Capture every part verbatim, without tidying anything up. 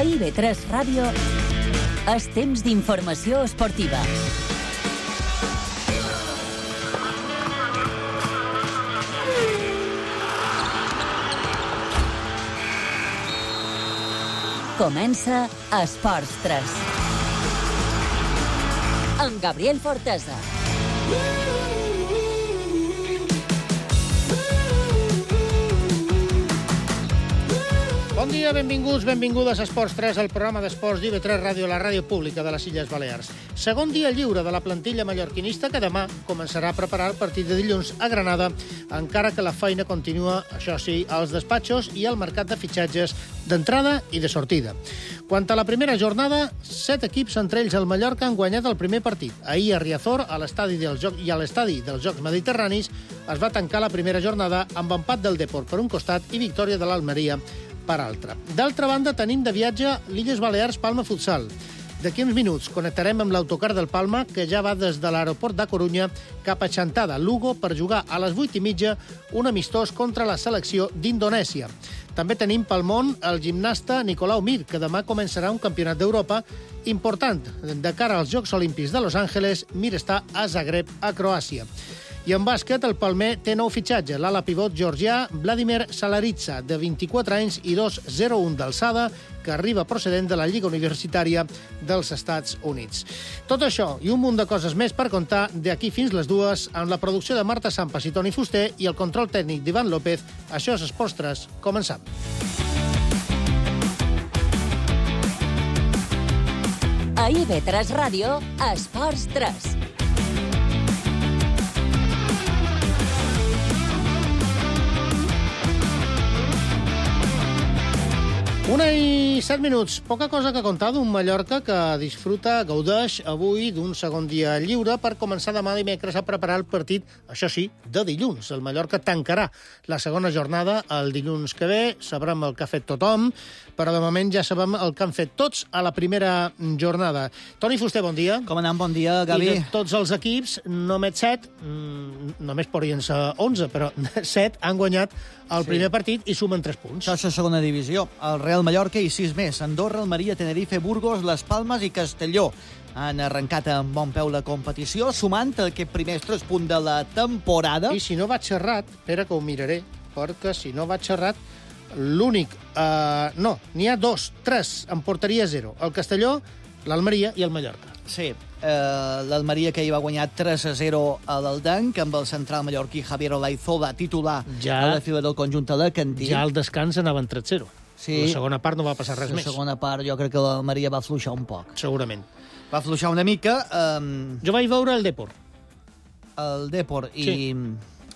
A I B tres Ràdio és temps d'informació esportiva. Comença Esports tres. Amb Gabriel Fortesa. Bon dia, benvinguts, benvingudes a Esports tres, el programa d'esports d'I B tres Ràdio, la ràdio pública de les Illes Balears. Segon dia lliure de la plantilla mallorquinista que demà començarà a preparar el partit de dilluns a Granada, encara que la feina continua, això sí, als despatxos i al mercat de fitxatges d'entrada i de sortida. Quant a la primera jornada, set equips, entre ells el Mallorca, han guanyat el primer partit. Ahir a Riazor, a l'estadi dels Jocs i a l'estadi dels Jocs Mediterranis, es va tancar la primera jornada amb empat del Depor per un costat i victòria de l'Almeria per altra. D'altra banda, tenim de viatge l'Illes Balears Palma Futsal. D'aquí uns minuts connectarem amb l'autocar del Palma, que ja va des de l'aeroport de Corunya cap a Chantada, Lugo, per jugar a les vuit i mitja un amistós contra la selecció d'Indonèsia. També tenim pel món el gimnasta Nicolau Mir, que demà començarà un campionat d'Europa important. De cara als Jocs Olímpics de Los Angeles, Mir està a Zagreb, a Croàcia. I en bàsquet, el Palmer té nou fitxatge. L'ala pivot georgià Vladimir Salaritsa, de vint-i-quatre anys i dos coma zero un d'alçada, que arriba procedent de la Lliga Universitària dels Estats Units. Tot això i un munt de coses més per contar d'aquí fins les dues, amb la producció de Marta Sampas i Toni Fuster i el control tècnic d'Ivan López. Això és Esports tres. Començam. A I B tres Ràdio, Esports tres. Una i set minuts. Poca cosa que contar d'un Mallorca que disfruta, gaudeix avui d'un segon dia lliure per començar demà dimecres a preparar el partit, això sí, de dilluns. El Mallorca tancarà la segona jornada el dilluns que ve. Sabrem el que ha fet tothom, però de moment ja sabem el que han fet tots a la primera jornada. Toni Fuster, bon dia. Com anem? Bon dia, Gavi. I de tots els equips, només set, mmm, només podrien ser onze, però set han guanyat el sí. primer partit i sumen tres punts. Això és la segona divisió. El Real Mallorca i sis més. Andorra, Almeria, Tenerife, Burgos, Les Palmes i Castelló han arrencat amb bon peu la competició, sumant aquest primers tres punts de la temporada. I si no vaig xerrat, espera que ho miraré, perquè si no vaig xerrat, l'únic... Uh, no, n'hi ha dos, tres, en porteria zero. El Castelló, l'Almeria i el Mallorca. Sí, eh, l'Almeria que hi va guanyar tres a zero a l'Aldanc, amb el central mallorquí Javier Olaizola titular ja, a la fila del conjunt alacantí. Ja al descans anaven tres a zero. Sí. La segona part no va passar res la més. La segona part jo crec que l'Almeria va fluixar un poc. Segurament. Va fluixar una mica. Um... Jo vaig veure el Depor. El Depor i... Sí.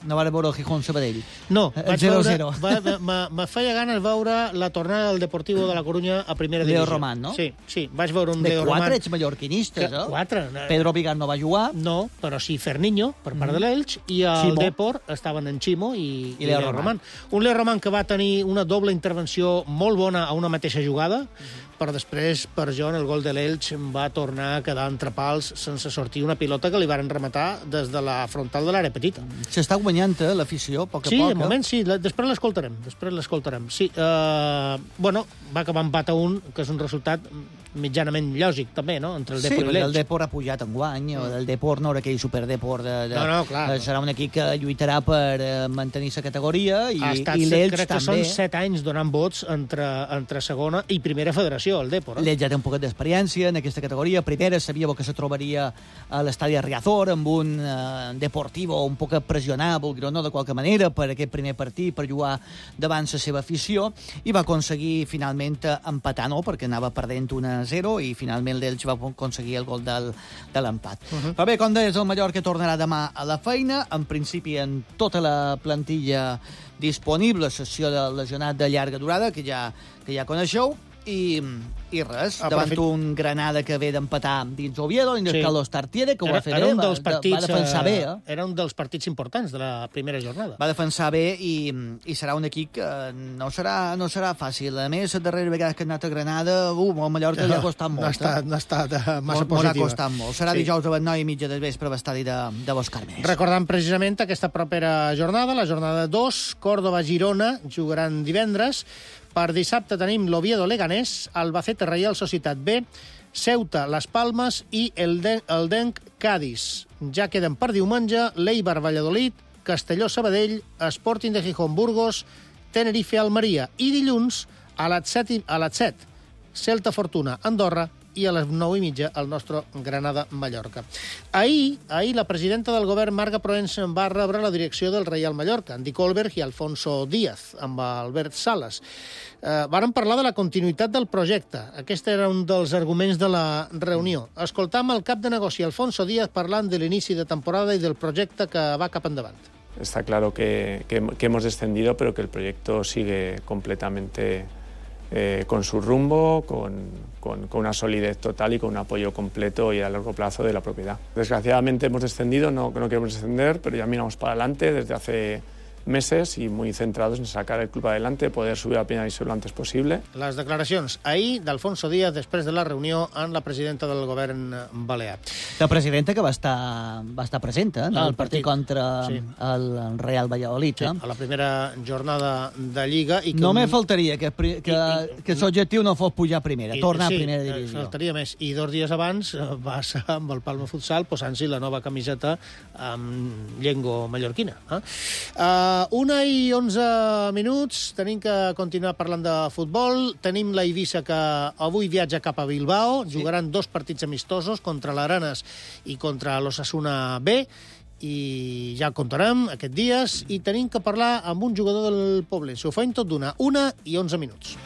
No va veure el Gijón Sabadell. No, vaig zero veure... Va, me, me feia ganes veure la tornada del Deportivo de la Corunya a primera Leo divisió. Roman, no? Sí, sí, vaig veure un de Leo Roman. De quatre ets mallorquinistes, que, eh? Quatre. Pedro Vigar no va jugar. No, però sí Ferniño, per part mm. de l'Elx, i el Ximo. Depor estaven en Ximo i, I, i Leo, Leo Roman. Roman. Un Leo Roman que va tenir una doble intervenció molt bona a una mateixa jugada, mm. però després, per John, el gol de l'Elx va tornar a quedar entre pals sense sortir una pilota que li varen rematar des de la frontal de l'àrea petita. S'està guanyant eh, l'afició, a poc a sí, poc. Sí, de moment sí, després l'escoltarem, després l'escoltarem. Sí, eh, bueno, va acabar empat a un, que és un resultat mitjanament lògic, també, no?, entre el Depor sí, i l'Elx. Sí, el Depor ha pujat en guany, mm. el Depor no era aquell superdepor de... de no, no, clar. Eh, serà un equip que lluitarà per eh, mantenir la categoria i, estat, i l'Elx crec també. Que són set anys donant vots entre, entre segona i primera federació, el Depor. Eh? L'Elx ja té un poquet d'experiència en aquesta categoria. Primera sabia que se trobaria a l'estadi de Riazor amb un eh, Deportivo un poc pressionable, no de qualque manera, per aquest primer partit, per jugar davant la seva afició, i va aconseguir finalment empatar, no?, perquè anava perdent un a zero i finalment l'Elx va aconseguir el gol del, de l'empat. Uh -huh. Però bé, com deies, el Mallorca tornarà demà a la feina, en principi en tota la plantilla disponible, sessió de lesionat de llarga durada, que ja, que ja coneixeu, i, i res, ah, davant fet... un Granada que ve d'empatar dins Oviedo, dins sí. Carlos Tartiere, que ho era, va fer era bé, un dels va, partits, va defensar bé. Eh? Era un dels partits importants de la primera jornada. Va defensar bé i, i serà un equip que no serà, no serà fàcil. A més, la darrera vegada que ha anat a Granada, uh, el Mallorca no, ja ha costat molt. No ha estat, eh? no ha estat uh, massa molt, positiva. Molt ha costat molt. Serà sí. dijous a les nou i mitja del vespre a l'estadi de, de Los Carmes. Recordant precisament aquesta propera jornada, la jornada dos, Córdoba-Girona, jugaran divendres. Per dissabte tenim l'Oviedo-Leganés, Albacete Set, Reial Societat B, Ceuta, Las Palmes i el Denc Cádiz. Ja queden per diumenge l'Eibar Valladolid, Castelló Sabadell, Sporting de Gijón Burgos, Tenerife Almeria i dilluns a les set Celta Fortuna Andorra i a les nou i mitja el nostre Granada Mallorca. Ahir, ahir la presidenta del govern, Marga Proens, va rebre la direcció del Reial Mallorca, Andy Colberg i Alfonso Díaz, amb Albert Sales. Eh, varen parlar de la continuïtat del projecte. Aquest era un dels arguments de la reunió. Escoltam el cap de negoci, Alfonso Díaz, parlant de l'inici de temporada i del projecte que va cap endavant. Está claro que, que, que hemos descendido, pero que el proyecto sigue completamente eh, con su rumbo, con, con, con una solidez total y con un apoyo completo y a largo plazo de la propiedad. Desgraciadamente hemos descendido, no, no queremos descender, pero ya miramos para adelante desde hace meses y muy centrados en sacar el club adelante, poder subir a la primera división lo antes possible. Les declaracions ahir d'Alfonso Díaz després de la reunió amb la presidenta del govern balear. La presidenta que va estar, va estar present en el partit contra sí. el Real Valladolid. Sí, a la primera jornada de Lliga. I que no un... me faltaria que, que, que, que l'objectiu no fos pujar a primera, I, tornar sí, a primera divisió. Faltaria més. I dos dies abans va ser amb el Palma Futsal posant-s'hi la nova camiseta amb llengua mallorquina. Eh? Uh, una i onze minuts, tenim que continuar parlant de futbol. Tenim la Eivissa que avui viatja cap a Bilbao, sí. Jugaran dos partits amistosos contra l'Aranes i contra l'Osasuna B, i ja el contarem aquests dies, i tenim que parlar amb un jugador del Poblense. Ho faim tot d'una, una i onze minuts.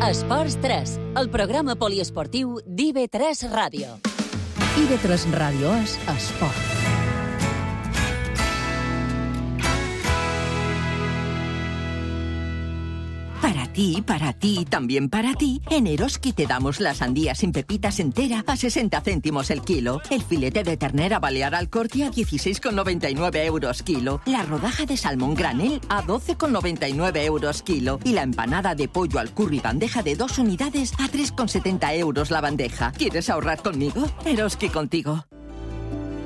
Esports tres, el programa poliesportiu d'I V tres Ràdio. I V tres Ràdio és esport. Para ti, para ti, también para ti, en Eroski te damos la sandía sin pepitas entera a sesenta céntimos el kilo, el filete de ternera balear al corte a dieciséis con noventa y nueve euros kilo, la rodaja de salmón granel a doce con noventa y nueve euros kilo y la empanada de pollo al curry bandeja de dos unidades a tres con setenta euros la bandeja. ¿Quieres ahorrar conmigo? Eroski contigo.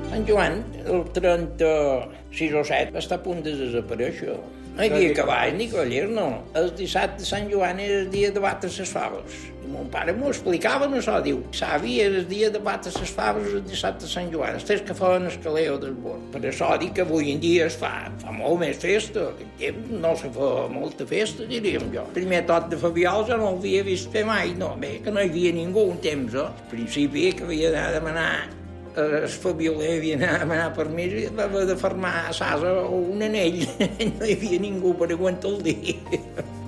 Sant Joan, el trenta-sis o set, està a punt de desaparèixer. No hi havia cavall ni cavallers, no. El dissabte de Sant Joan era el dia de batre les faves. I mon pare m'ho explicava, no això, diu, savi, era el dia de batre les faves el dissabte de Sant Joan, els tres que feien el caleo del bord. Per això dic que avui en dia es fa, fa molt més festa, aquest temps no se fa molta festa, diríem jo. Primer tot de Fabiol jo no l'havia vist fer mai, no, bé, que no hi havia ningú un temps, eh? Al principi que havia d'anar a demanar el Fabioler havia d'anar a demanar permís i va haver de fermar a Sasa un anell. No hi havia ningú per aguantar el dia.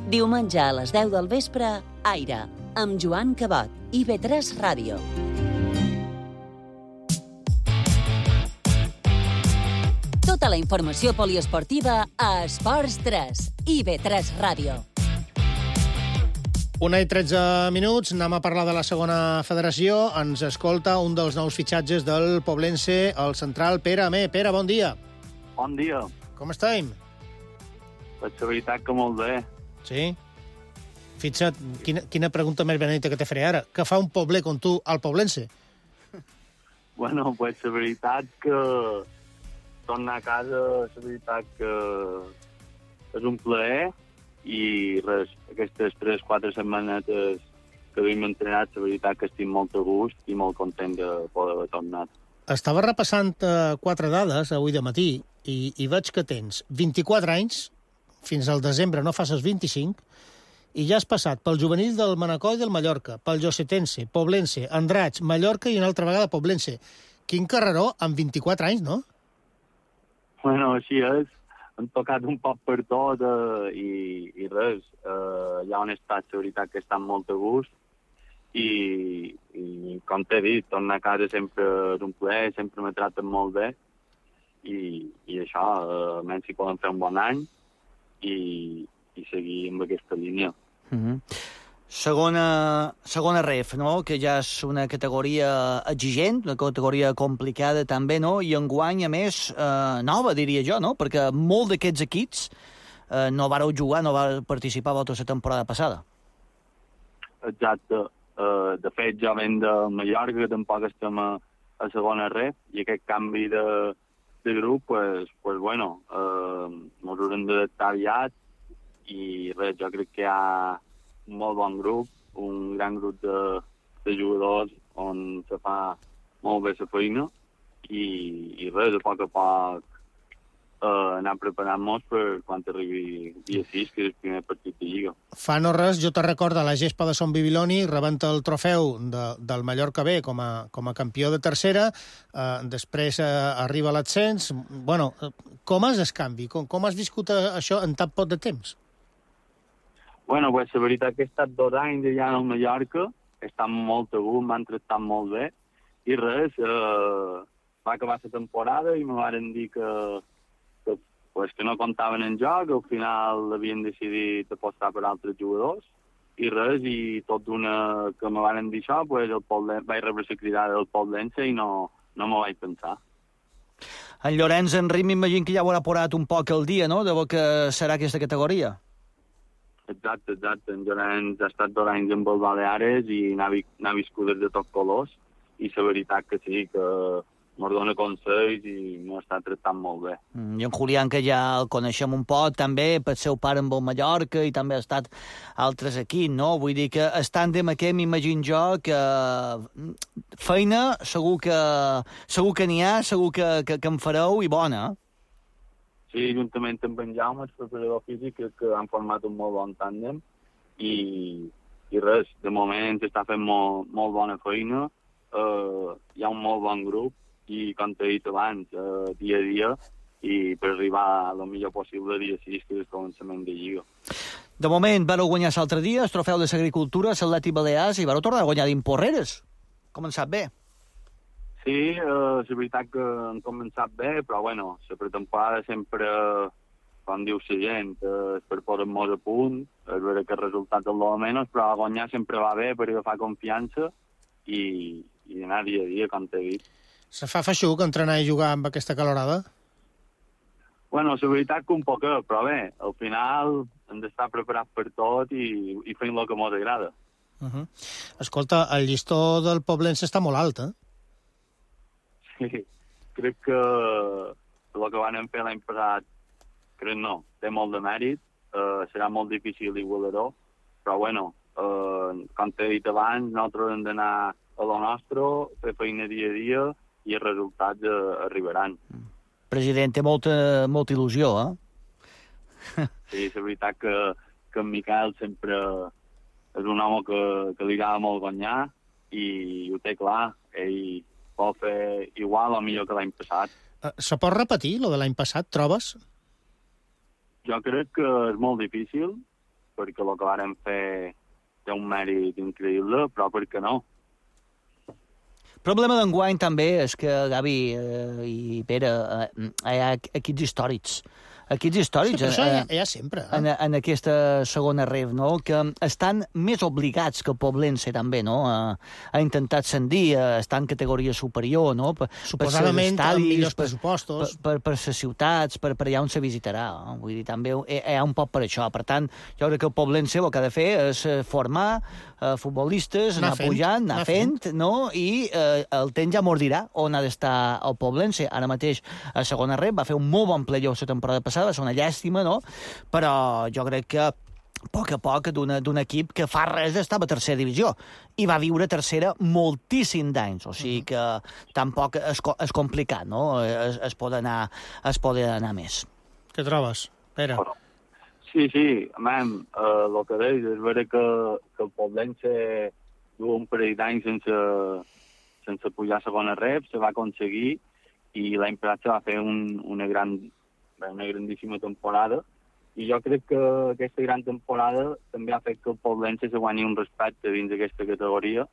Diumenge a les deu del vespre, Aire, amb Joan Cabot, I V tres Ràdio. Tota la informació poliesportiva a Esports tres, I V tres Ràdio. Una i tretze minuts, anem a parlar de la segona federació. Ens escolta un dels nous fitxatges del Poblense, el central Pere Amé. Pere, bon dia. Bon dia. Com estem? Pues la veritat que molt bé. Sí? Fixa't, quina, quina pregunta més benedita que te faré ara. Què fa un pobler com tu al Poblense? Bueno, pues la veritat que tornar a casa, la veritat que és un plaer. I res, aquestes tres o quatre setmanetes que hem entrenat, la veritat que estic molt a gust i molt content de poder haver tornat. Estava repassant uh, quatre dades avui de matí i, i veig que tens vint-i-quatre anys, fins al desembre no fas els vint-i-cinc, i ja has passat pel juvenil del Manacor i del Mallorca, pel Josetense, Poblense, Andratx, Mallorca i una altra vegada Poblense. Quin carreró amb vint-i-quatre anys, no? Bueno, així és. Han tocat un poc per tot eh, i, i res, eh, hi ha un estat, la veritat, que estan molt a gust i, i com t'he dit, tornar a casa sempre és un plaer, sempre me traten molt bé i, i això, eh, menys si poden fer un bon any i, i seguir amb aquesta línia. Mm-hmm. Segona, segona ref, no? Que ja és una categoria exigent, una categoria complicada també, no? I enguany, a més, eh, nova, diria jo, no? Perquè molts d'aquests equips eh, no vareu jugar, no vareu participar a la temporada passada. Exacte. Uh, de fet, jo venc de Mallorca, que tampoc estem a, a segona ref, i aquest canvi de, de grup, pues, pues bueno, uh, s'hauran d'adaptar aviat i res, jo crec que hi ha un molt bon grup, un gran grup de, de jugadors on se fa molt bé la feina i, i res, a poc a poc Uh, anar preparant-nos per quan arribi dia sis, que és el primer partit de Lliga. Fa no res, jo te recordo la gespa de Son Bibiloni rebent el trofeu de, del Mallorca B com a, com a campió de tercera, uh, després uh, arriba l'ascens. Bueno, com és el canvi? Com, com has viscut això en tan poc de temps? Bueno, pues, la veritat que he estat dos anys allà al Mallorca, he estat molt a gust, m'han tractat molt bé, i res, uh, va acabar la temporada i me van dir que pues que no comptaven en joc, al final havien decidit apostar per altres jugadors, i res, i tot d'una que me van dir això, pues el Poblen... vaig rebre la cridada del Poblense i no, no m'ho vaig pensar. En Llorenç Enric m'imagino que ja haurà posat un poc el dia, no?, de que serà aquesta categoria. Exacte, exacte. En Llorenç ha estat dos anys amb el Baleares i n'ha viscut de tots colors, i la veritat que sí, que mos dona consells i m'ho està tractant molt bé. Mm, I en Julián, que ja el coneixem un poc, també, pel seu pare amb el Mallorca, i també ha estat altres aquí, no? Vull dir que el tàndem aquest, m'imagino jo, que feina segur que segur que n'hi ha, segur que, que, que en fareu, i bona. Sí, juntament amb en Jaume, el preparador físic, que han format un molt bon tàndem, i, i res, de moment està fent molt, molt bona feina, uh, hi ha un molt bon grup, i com t'he dit abans, eh, dia a dia, i per arribar el millor possible dia sis, que és el començament de Lliga. De moment, vareu guanyar l'altre dia, el trofeu de l'Agricultura, l'Atlètic Balears, i vareu tornar a guanyar d'Imporreres. Començat bé. Sí, eh, és veritat que han començat bé, però bueno, la pretemporada sempre, com diu la gent, eh, és per posar-nos a punt, és veure que el resultat és el de menys, però guanyar sempre va bé per agafar confiança i, i anar dia a dia, com t'he dit. Se fa feixuc entrenar i jugar amb aquesta calorada? Bueno, la veritat que un poquet, però bé, al final hem d'estar preparats per tot i, i fent el que ens agrada. Uh -huh. Escolta, el llistó del Poblense està molt alt, eh? Sí, crec que el que van fer l'any passat, crec no, té molt de mèrit, uh, serà molt difícil igualar-ho, però bueno, uh, com t'he dit abans, nosaltres hem d'anar a lo nostre, fer feina dia a dia, i els resultats eh, arribaran. President, té molta, molta il·lusió, eh? Sí, és veritat que, que en Miquel sempre és un home que, que li agrada molt guanyar i ho té clar. Ell vol fer igual o millor que l'any passat. Uh, se pot repetir, lo de l'any passat, trobes? Jo crec que és molt difícil, perquè el que vàrem fer té un mèrit increïble, però per què no? El problema d'enguany també és que, Gavi eh, i Pere, eh, hi ha equips històrics. Equips històrics Sí, això eh, hi ha, hi ha sempre. Eh? en, en aquesta segona ref, no? Que estan més obligats que el Poblense, també, no? A, a intentar ascendir, a estar en categoria superior, no? Per, Suposadament per amb estadis, millors per, pressupostos. Per, per, per les ciutats, per, per allà on se visitarà. No? Vull dir, també hi, hi ha un poc per això. Per tant, jo crec que el Poblense el que ha de fer és formar eh, futbolistes, anar, anar fent, pujant, anar, anar fent, fent, no? I eh, el temps ja mos dirà on ha d'estar el Poblense. Ara mateix, a segona ref, va fer un molt bon playoff la temporada passada, va ser una llàstima, no? Però jo crec que a poc a poc d'un equip que fa res estava a tercera divisió i va viure tercera moltíssim d'anys, o sigui que tampoc és, és complicat, no? Es, es, pot anar, es pot anar més. Què trobes, Pere? Sí, sí, amem, eh, el que deis és veure que, que el Poblense du un parell d'anys sense, sense pujar a segona ref, se va aconseguir i l'any passat se va fer un, una gran una grandíssima temporada i jo crec que aquesta gran temporada també ha fet que el Poblense se guanyi un respecte dins d'aquesta categoria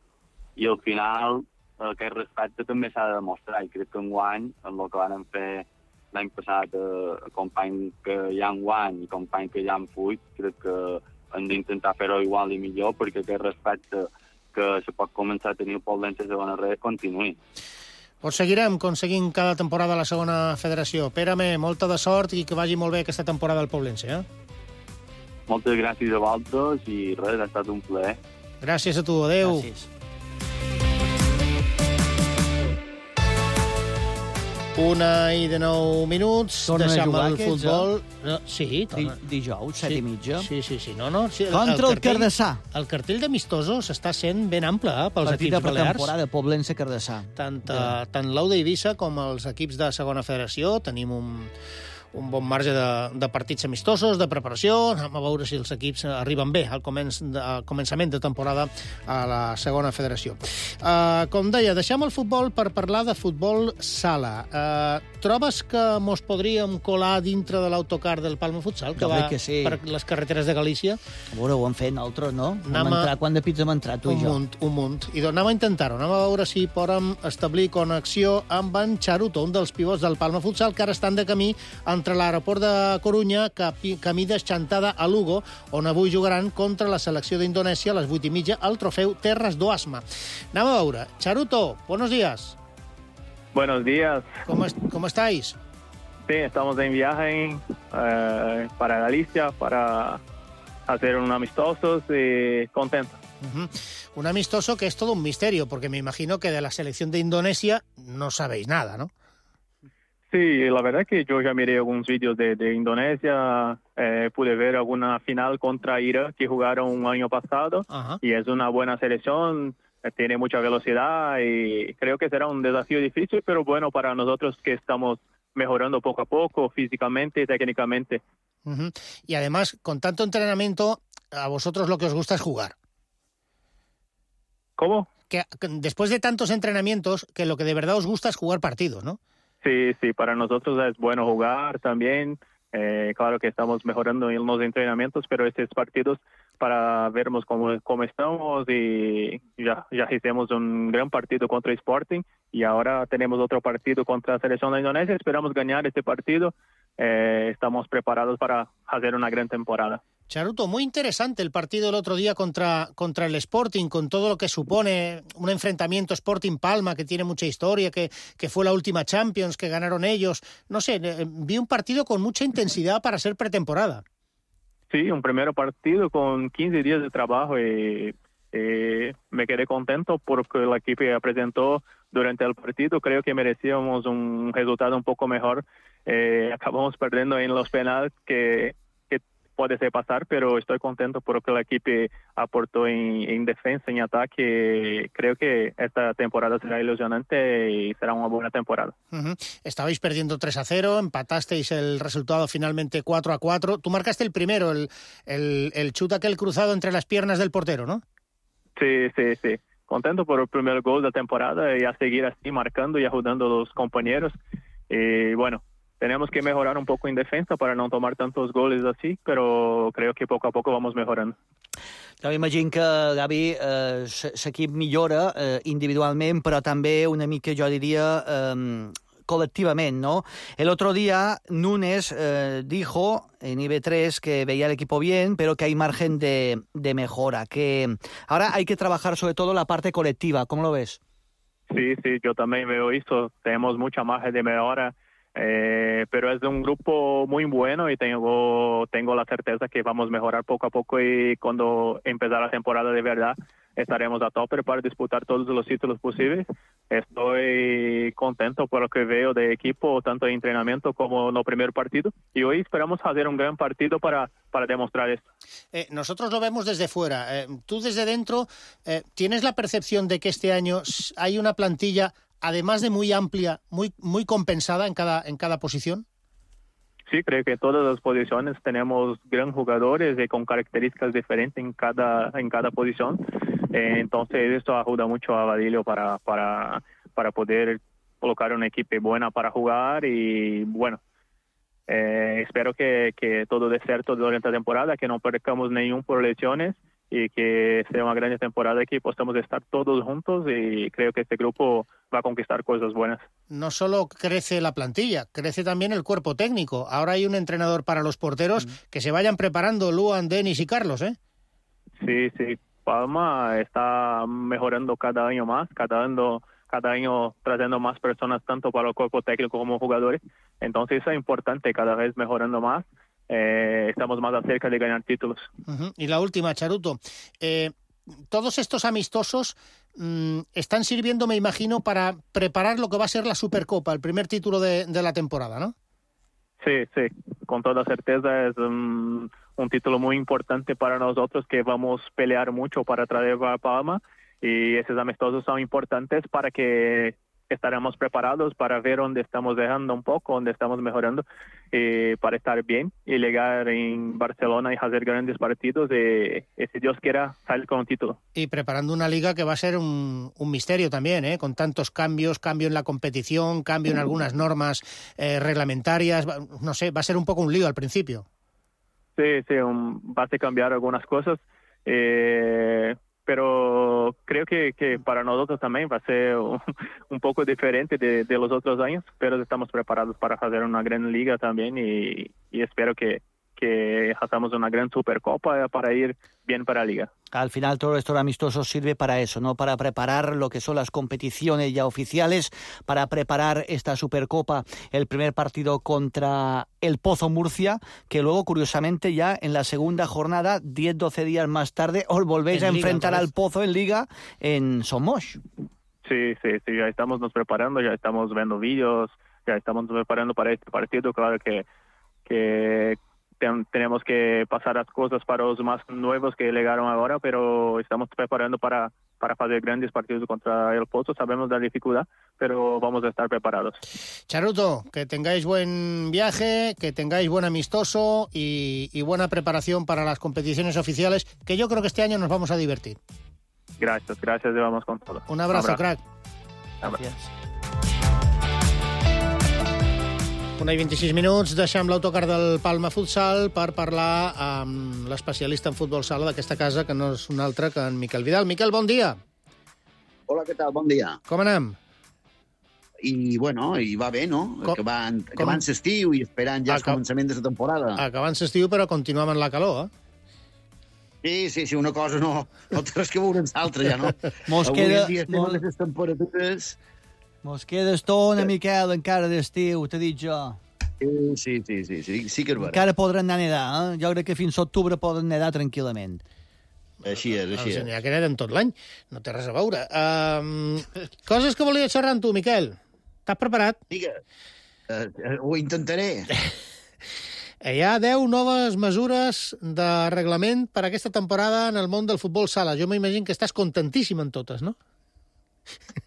i al final aquest respecte també s'ha de demostrar i crec que enguany, en el que van fer l'any passat a companys que hi ha enguany i companys que hi ha en fuit, crec que hem d'intentar fer-ho igual i millor perquè aquest respecte que se pot començar a tenir el Poblense a segona red continuï. Doncs seguirem aconseguint cada temporada a la segona federació. Pere-me, molta de sort i que vagi molt bé aquesta temporada al Poblense, eh? Moltes gràcies a vosaltres i res, ha estat un plaer. Gràcies a tu, adeu. Gràcies. Una i de nou minuts. Tornen a Deixem jugar el aquests, futbol. No, sí, Di, torna. dijous, set Sí, i mitja. Sí, sí, sí. No, no, sí, Contra el, cartell- Cardassà. El cartell d'amistosos està sent ben ample eh, pels Partit de equips balears. pretemporada, Poblense-Cardassà. Tant, uh, tant l'Auda Eivissa com els equips de segona federació tenim un, un bon marge de, de partits amistosos, de preparació. Anem a veure si els equips arriben bé al, començ de, al començament de temporada a la segona federació. Uh, com deia, deixem el futbol per parlar de futbol sala. Uh, trobes que mos podríem colar dintre de l'autocar del Palma Futsal, que Jo va crec que sí. per les carreteres de Galícia? A veure, ho hem fet nosaltres, no? Hem Anem a- entrat, quant de pits hem entrat, tu Un i jo? munt, un munt. I doncs anem a intentar-ho. Anem a veure si podem establir connexió amb en Charuto, un dels pivots del Palma Futsal, que ara estan de camí entre l'aeroport de Corunya, capi, camí d'Exantada a Lugo, on avui jugaran contra la selecció d'Indonèsia a les vuit i mitja al trofeu Terres do Asma. Anem a veure. Charuto, buenos días. Buenos días. ¿Cómo, es, ¿Cómo estáis? Sí, estamos en viaje eh, para Galicia para hacer un amistosos y contentos. Uh-huh. Un amistoso que es todo un misterio, porque me imagino que de la selección de Indonesia no sabéis nada, ¿no? Sí, la verdad que yo ya miré algunos vídeos de, de Indonesia, eh, pude ver alguna final contra Irak que jugaron un año pasado. Ajá. Y es una buena selección, eh, tiene mucha velocidad y creo que será un desafío difícil, pero bueno para nosotros que estamos mejorando poco a poco, físicamente y técnicamente. Uh-huh. Y además, con tanto entrenamiento, a vosotros lo que os gusta es jugar. ¿Cómo? Que, que después de tantos entrenamientos, que lo que de verdad os gusta es jugar partidos, ¿no? Sí, sí, para nosotros es bueno jugar también. Eh, claro que estamos mejorando en los entrenamientos, pero estos partidos para vernos cómo, cómo estamos y ya, ya hicimos un gran partido contra Sporting y ahora tenemos otro partido contra la selección de Indonesia. Esperamos ganar este partido. Eh, estamos preparados para hacer una gran temporada. Charuto, muy interesante el partido el otro día contra, contra el Sporting, con todo lo que supone un enfrentamiento Sporting-Palma, que tiene mucha historia, que, que fue la última Champions, que ganaron ellos. No sé, eh, vi un partido con mucha intensidad para ser pretemporada. Sí, un primer partido con quince días de trabajo y, y me quedé contento porque el equipo presentó durante el partido. Creo que merecíamos un resultado un poco mejor. Eh, acabamos perdiendo en los penales que... puede ser pasar, pero estoy contento porque el equipo aportó en, en defensa, en ataque. Creo que esta temporada será ilusionante y será una buena temporada. Uh-huh. Estabais perdiendo tres a cero, empatasteis el resultado finalmente cuatro a cuatro. Tú marcaste el primero, el, el, el chute aquel cruzado entre las piernas del portero, ¿no? Sí, sí, sí. Contento por el primer gol de la temporada y a seguir así marcando y ayudando a los compañeros. Y bueno, tenemos que mejorar un poco en defensa para no tomar tantos goles así, pero creo que poco a poco vamos mejorando. Jo imagino que, Gavi, eh, l'equip millora eh, individualment, però també una mica, jo diria, eh, colectivament, ¿no? El otro día, Núñez eh, dijo en I B tres que veía el equipo bien, pero que hay margen de, de mejora, que ahora hay que trabajar sobre todo la parte colectiva. ¿Cómo lo ves? Sí, sí, yo también veo eso. Tenemos mucha margen de mejora. Eh, pero es un grupo muy bueno y tengo tengo la certeza que vamos a mejorar poco a poco y cuando empezar la temporada de verdad estaremos a tope para disputar todos los títulos posibles. Estoy contento por lo que veo de equipo, tanto en entrenamiento como en el primer partido, y hoy esperamos hacer un gran partido para, para demostrar esto. Eh, nosotros lo vemos desde fuera. Eh, tú desde dentro, eh, ¿tienes la percepción de que este año hay una plantilla, además de muy amplia, muy muy compensada en cada en cada posición? Sí, creo que en todas las posiciones tenemos gran jugadores y con características diferentes en cada en cada posición. Eh, entonces esto ayuda mucho a Vadillo para para para poder colocar una equipo buena para jugar y bueno, eh, espero que, que todo dé cierto durante la temporada, que no percamos ningún por lesiones y que sea una gran temporada que podamos estar todos juntos y creo que este grupo va a conquistar cosas buenas. No solo crece la plantilla, crece también el cuerpo técnico. Ahora hay un entrenador para los porteros. Mm. Que se vayan preparando Luan, Denis y Carlos, ¿eh? Sí, sí. Palma está mejorando cada año más, cada año, cada año trayendo más personas tanto para el cuerpo técnico como jugadores. Entonces eso es importante, cada vez mejorando más. Eh, estamos más cerca de ganar títulos. Uh-huh. Y la última, Charuto. Eh, todos estos amistosos mmm, están sirviendo, me imagino, para preparar lo que va a ser la Supercopa, el primer título de, de la temporada, ¿no? Sí, sí, con toda certeza es un, un título muy importante para nosotros que vamos a pelear mucho para traer a Palma, y esos amistosos son importantes para que estaremos preparados para ver dónde estamos dejando un poco, dónde estamos mejorando, eh, para estar bien y llegar en Barcelona y hacer grandes partidos y, y si Dios quiera salir con un título. Y preparando una liga que va a ser un, un misterio también, ¿eh? Con tantos cambios, cambio en la competición, cambio en algunas normas eh, reglamentarias, no sé, va a ser un poco un lío al principio. Sí, sí, un, va a cambiar algunas cosas, eh, pero creo que, que para nosotros también va a ser un, un poco diferente de, de los otros años, pero estamos preparados para hacer una gran liga también y, y espero que, que hagamos una gran Supercopa para ir bien para la liga. Al final todo esto amistoso sirve para eso, ¿no? Para preparar lo que son las competiciones ya oficiales, para preparar esta Supercopa, el primer partido contra el Pozo Murcia, que luego, curiosamente, ya en la segunda jornada, diez doce días más tarde, os volvéis en a Liga, enfrentar al Pozo en Liga en Somos. Sí, sí, sí, ya estamos nos preparando, ya estamos viendo vídeos, ya estamos nos preparando para este partido. Claro que, que ten, tenemos que pasar las cosas para los más nuevos que llegaron ahora, pero estamos preparando para, para hacer grandes partidos contra el Pozo. Sabemos la dificultad, pero vamos a estar preparados. Charuto, que tengáis buen viaje, que tengáis buen amistoso y, y buena preparación para las competiciones oficiales, que yo creo que este año nos vamos a divertir. Gracias, gracias, y vamos con todo. Un abrazo, Un abrazo. crack. Gràcies. Una i vint-i-sis minuts, deixem l'autocar del Palma Futsal per parlar amb l'especialista en futbol sala d'aquesta casa, que no és un altre que en Miquel Vidal. Miquel, bon dia. Hola, què tal? Bon dia. Com anem? I, bueno, i va bé, no? Com, acabant com... acabant l'estiu i esperant ja el Acab... començament de la temporada. Acabant l'estiu, però continuem en la calor, eh? Sí, sí, sí, una cosa no, no té res que veure amb l'altra, ja, no? Mos Avui queda... en dia estem mos... a les temperatures... Mos queda estona, Miquel, encara d'estiu, t'he dit jo. Sí, sí, sí, sí, sí, sí que és vera. Encara podran anar a nedar, eh? Jo crec que fins a octubre poden nedar tranquil·lament. Així és, així és. N'hi ha que neden tot l'any, no té res a veure. Um, coses que volia xerrar amb tu, Miquel. T'has preparat? Digue, uh, uh, ho intentaré. Hi ha deu noves mesures de reglament per aquesta temporada en el món del futbol sala. Jo m'imagino que estàs contentíssim en totes, no?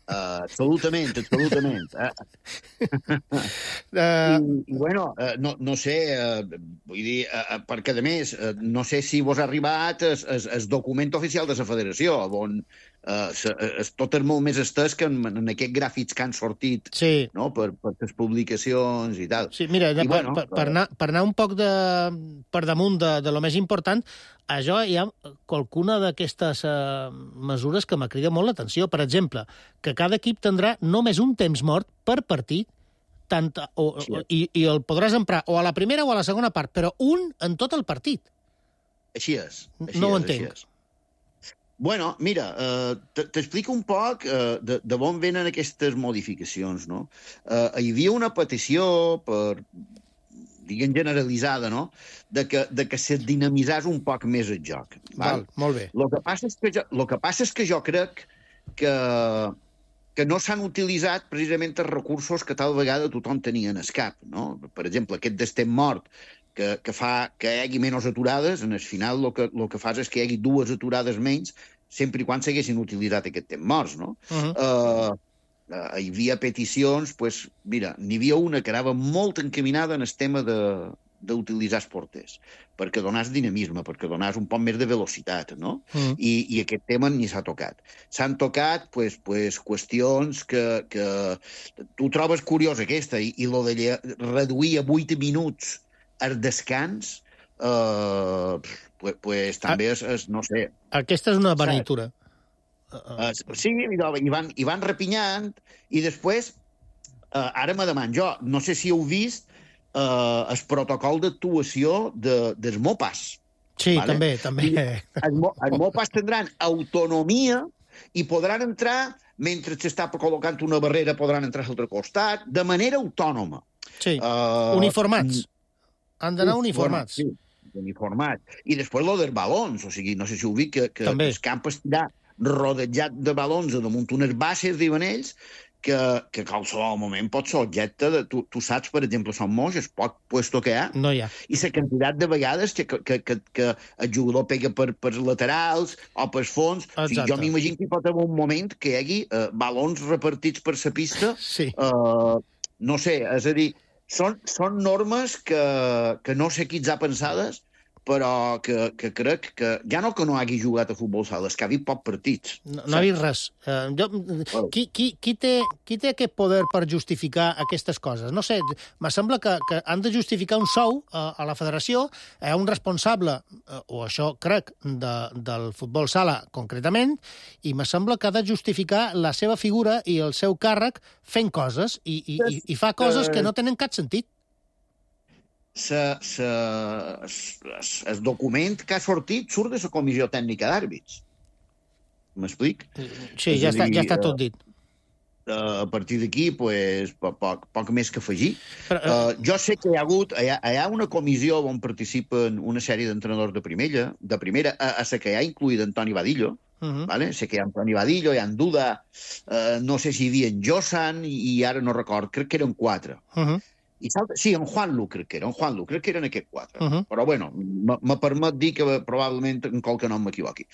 Uh, absolutament, absolutament. Uh, uh... I, I, bueno, uh, no, no sé, uh, vull dir, uh, perquè, a més, uh, no sé si vos ha arribat el, el, el document oficial de la federació, on uh, se, es, tot és molt més estès que en, en aquests gràfics que han sortit, sí, no? per, per les publicacions i tal. Sí, mira, I, per, bueno, per, per, anar, per anar un poc de, per damunt de, de lo més important, això hi ha qualcuna d'aquestes uh, mesures que m'ha cridat molt l'atenció. Per exemple, que cada equip tindrà només un temps mort per partit, tant, o, o, i, i el podràs emprar o a la primera o a la segona part, però un en tot el partit. Així és. Així no ho és, entenc. així és. Bueno, mira, uh, t'explico un poc uh, de, de on venen aquestes modificacions, no? Uh, hi havia una petició per... diguem generalitzada, no?, de que, de que se dinamitzés un poc més el joc. Val, molt bé. Lo que passa és que jo, lo que passa és que jo crec que, que no s'han utilitzat precisament els recursos que tal vegada tothom tenia en el cap, no? Per exemple, aquest d'estem mort, que, que fa que hi hagi menys aturades, en el final el que, lo que fas és que hi hagi dues aturades menys, sempre i quan s'haguessin utilitzat aquest temps morts, no? Uh-huh. Uh, Uh, hi havia peticions, pues, mira, n'hi havia una que anava molt encaminada en el tema d'utilitzar els porters, perquè donàs dinamisme, perquè donàs un poc més de velocitat, no? Mm. I, i aquest tema ni s'ha tocat. S'han tocat pues, pues, qüestions que, que tu trobes curiós aquesta, i, i lo de reduir a vuit minuts el descans, uh, pues, pues, també és, és, no sé... Aquesta és una beneïtura. Uh, sí, i van, i van repinyant, i després, uh, ara me deman jo, no sé si heu vist uh, el protocol d'actuació de, dels MOPAs. Sí, vale? també, també. Els, els MOPAs tindran autonomia i podran entrar, mentre s'està col·locant una barrera, podran entrar a l'altre costat, de manera autònoma. Sí, uh, uniformats. Han d'anar uniformats. Bueno, sí. uniformat. I després lo dels balons, o sigui, no sé si ho vi, que, que També. el camp estirà rodejat de balons damunt unes bases, diuen ells, que, que qualsevol moment pot ser objecte de... Tu, tu saps, per exemple, són moix, el poc puesto que hi ha, No hi ha. i la quantitat de vegades que, que, que, que el jugador pega per, per laterals o per fons. O sigui, Exacte. jo m'imagino que hi pot haver un moment que hi hagi uh, balons repartits per la pista. Sí. Uh, no sé, és a dir, són, són normes que, que no sé qui ens ha pensades, però que, que crec que ja no que no hagi jugat a futbol sala, és que ha vist pocs partits. No, no ha vist res. Uh, jo, qui, qui, qui, té, qui té aquest poder per justificar aquestes coses? No sé, me sembla que, que han de justificar un sou uh, a la federació, hi ha un responsable, uh, o això crec, de, del futbol sala concretament, i me sembla que ha de justificar la seva figura i el seu càrrec fent coses, i, i, i, i fa coses que no tenen cap sentit. Sa, sa, el document que ha sortit surt de la comissió tècnica d'àrbits. M'explic? Sí, ja està, ja està tot dit. A partir d'aquí, pues, poc, poc, poc més que afegir. Però, uh, jo sé que hi ha hagut hi ha, hi ha una comissió on participen una sèrie d'entrenadors de primera, de primera a, a la que hi ha incluït Antoni Badillo, Uh -huh. vale? Sé que hi ha Antoni Badillo, hi ha en Duda, uh, no sé si hi havia en Josan, i, i ara no record, crec que eren quatre. Uh -huh. I salta, sí, en Juan Lu crec que era, en Juan Lu, crec que eren aquests quatre. Uh -huh. Però, bueno, me permet dir que probablement en qualque nom m'equivoqui.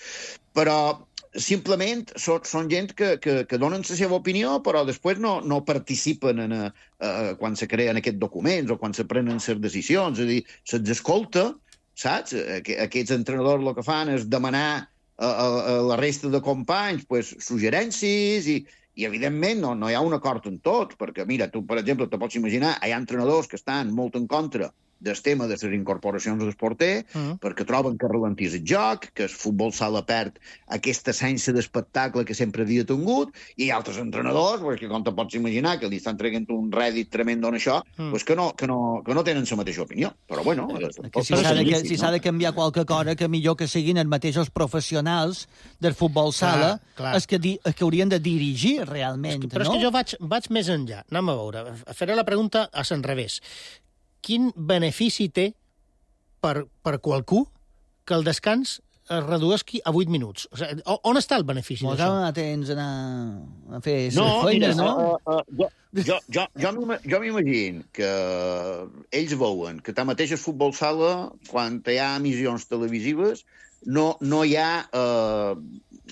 Però, simplement, són, són gent que, que, que donen la seva opinió, però després no, no participen en, a, a, quan se creen aquests documents o quan se prenen les decisions. És a dir, se'ls escolta, saps? Aquests entrenadors el que fan és demanar a, a, a la resta de companys pues, suggerències i, i evidentment, no, no hi ha un acord en tot, perquè, mira, tu, per exemple, te pots imaginar, hi ha entrenadors que estan molt en contra del tema de les incorporacions del porter, uh-huh. perquè troben que ralentís el joc, que el futbol sala perd aquesta essència d'espectacle que sempre havia tingut, i hi ha altres entrenadors, perquè, com te pots imaginar, que li estan traient un rèdit tremendo en això, uh-huh. pues que, no, que, no, que no tenen la mateixa opinió. Però, bueno... Que si s'ha de, que, si s'ha de canviar qualque cosa, que millor que siguin els mateixos professionals del futbol sala, clar, clar. Els, que di, els que haurien de dirigir realment, és que, però no? és que jo vaig, vaig més enllà. Anem a veure. Faré la pregunta a l'enrevés. Quin benefici té per, per qualcú que el descans es redueixi a vuit minuts? O sigui, on està el benefici Mos d'això? ha temps anar a fer no, feines, mira, no? Uh, uh, jo, jo, jo, jo m'imagino que ells veuen que tanmateix el futbol sala, quan hi ha emissions televisives, no, no hi ha uh,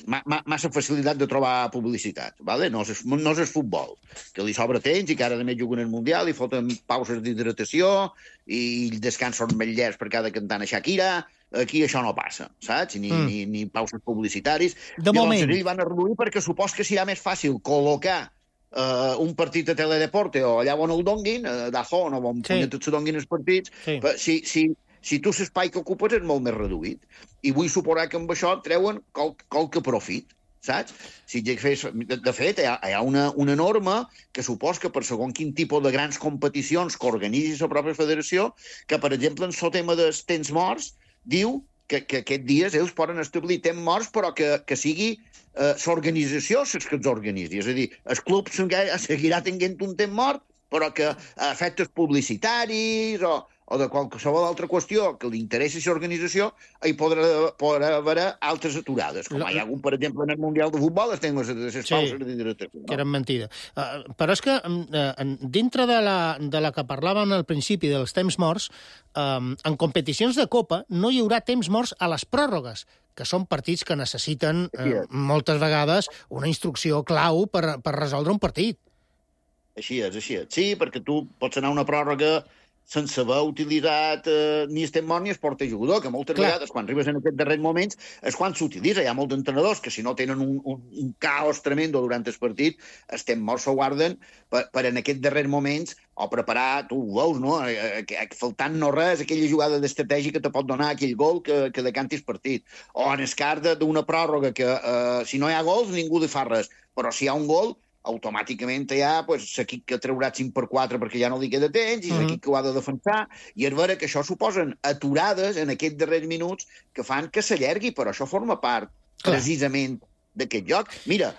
ma, ma, massa facilitat de trobar publicitat, ¿vale? No és, no és el futbol, que li sobra temps i que ara a més juguen el Mundial i foten pauses d'hidratació i els descans són més llers per cada cantant a Shakira. Aquí això no passa, saps? Ni, mm. ni, ni pauses publicitaris. De Llavors, moment. ells van a reduir perquè supos que serà més fàcil col·locar Uh, un partit de Teledeporte o allà on el donguin, uh, d'Azón o on sí. se donguin els partits, sí. si, si, si tu l'espai que ocupes és molt més reduït. I vull suposar que amb això treuen qual, qualque profit, saps? Si fes, de, de fet, hi ha, hi ha una, una norma que supos que per segon quin tipus de grans competicions que organitzi la pròpia federació, que, per exemple, en el tema dels temps morts, diu que, que aquests dies ells poden establir temps morts, però que, que sigui Uh, l'organització és que els organitzi. És a dir, el club seguirà tenint un temps mort, però que a efectes publicitaris o, o de qualsevol altra qüestió que li interessi l'organització, hi podrà, podrà haver altres aturades. Com hi ha hagut, per exemple, en el Mundial de Futbol, es tenen les, les sí, pauses d'hidratació. Que eren mentida. Uh, però és que, uh, dintre de la, de la que parlàvem al principi dels temps morts, um, en competicions de Copa no hi haurà temps morts a les pròrrogues, que són partits que necessiten eh, moltes vegades una instrucció clau per, per resoldre un partit. Així és, així és. Sí, perquè tu pots anar a una pròrroga sense haver utilitzat eh, ni el temps mort ni el porter jugador, que moltes Clar. vegades, quan arribes en aquests darrers moments, és quan s'utilitza. Hi ha molts entrenadors que, si no tenen un, un, un caos tremendo durant el partit, el temps mort s'ho guarden per, per en aquests darrers moments o preparar, tu ho veus, no? Eh, eh, faltant no res, aquella jugada d'estratègia que te pot donar aquell gol que, que decanti el partit. O en el cas d'una pròrroga que, eh, si no hi ha gols, ningú li fa res. Però si hi ha un gol, automàticament hi ha pues, l'equip que traurà cinc per quatre perquè ja no li queda temps i l'equip que ho ha de defensar, i és vera que això suposen aturades en aquests darrers minuts que fan que s'allargui, però això forma part Clar. precisament d'aquest joc. Mira,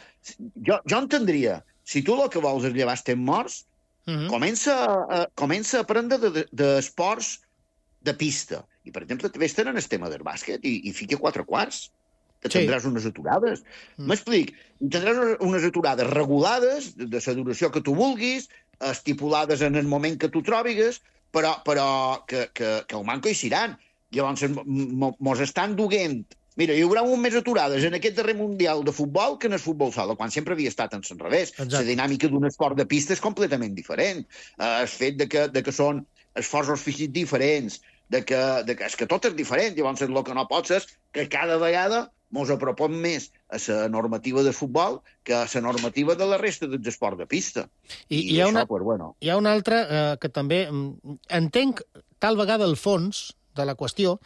jo, jo entendria, si tu el que vols és llevar els temps morts, uh -huh. comença, a, comença a aprendre d'esports de, de de pista. I, per exemple, també estan en el tema del bàsquet i, i fica quatre quarts. Que tindràs sí. unes aturades. M'explic. Mm. Tindràs unes aturades regulades, de la duració que tu vulguis, estipulades en el moment que tu trobigues, però, però que, que, que el manco hi seran. Llavors, mos estan duent. Mira, hi haurà un més aturades en aquest darrer Mundial de futbol que en el futbol sala, quan sempre havia estat en l'enrevés. La dinàmica d'un esport de pista és completament diferent. Uh, el fet de que, de que són esforços físics diferents, de que, de que, és que tot és diferent. Llavors, el que no pots és que cada vegada mos apropem més a la normativa de futbol que a la normativa de la resta dels esports de pista. I, I hi, ha això, una, pues, bueno. hi ha una altra eh, que també entenc tal vegada el fons de la qüestió,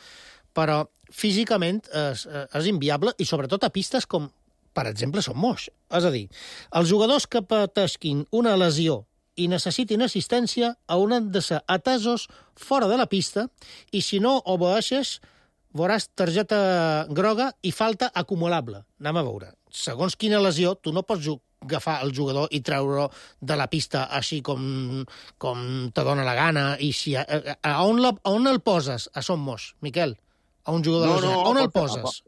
però físicament és, és inviable i sobretot a pistes com, per exemple, Son Moix. És a dir, els jugadors que pateixin una lesió i necessitin assistència hauran de ser atesos fora de la pista i si no obeeixes veuràs targeta groga i falta acumulable. Anem a veure. Segons quina lesió, tu no pots agafar el jugador i treure-lo de la pista així com, com te dona la gana. I si, a, a, on la, a on el poses, a Son Moix, Miquel? A un jugador no, de no, on el poses?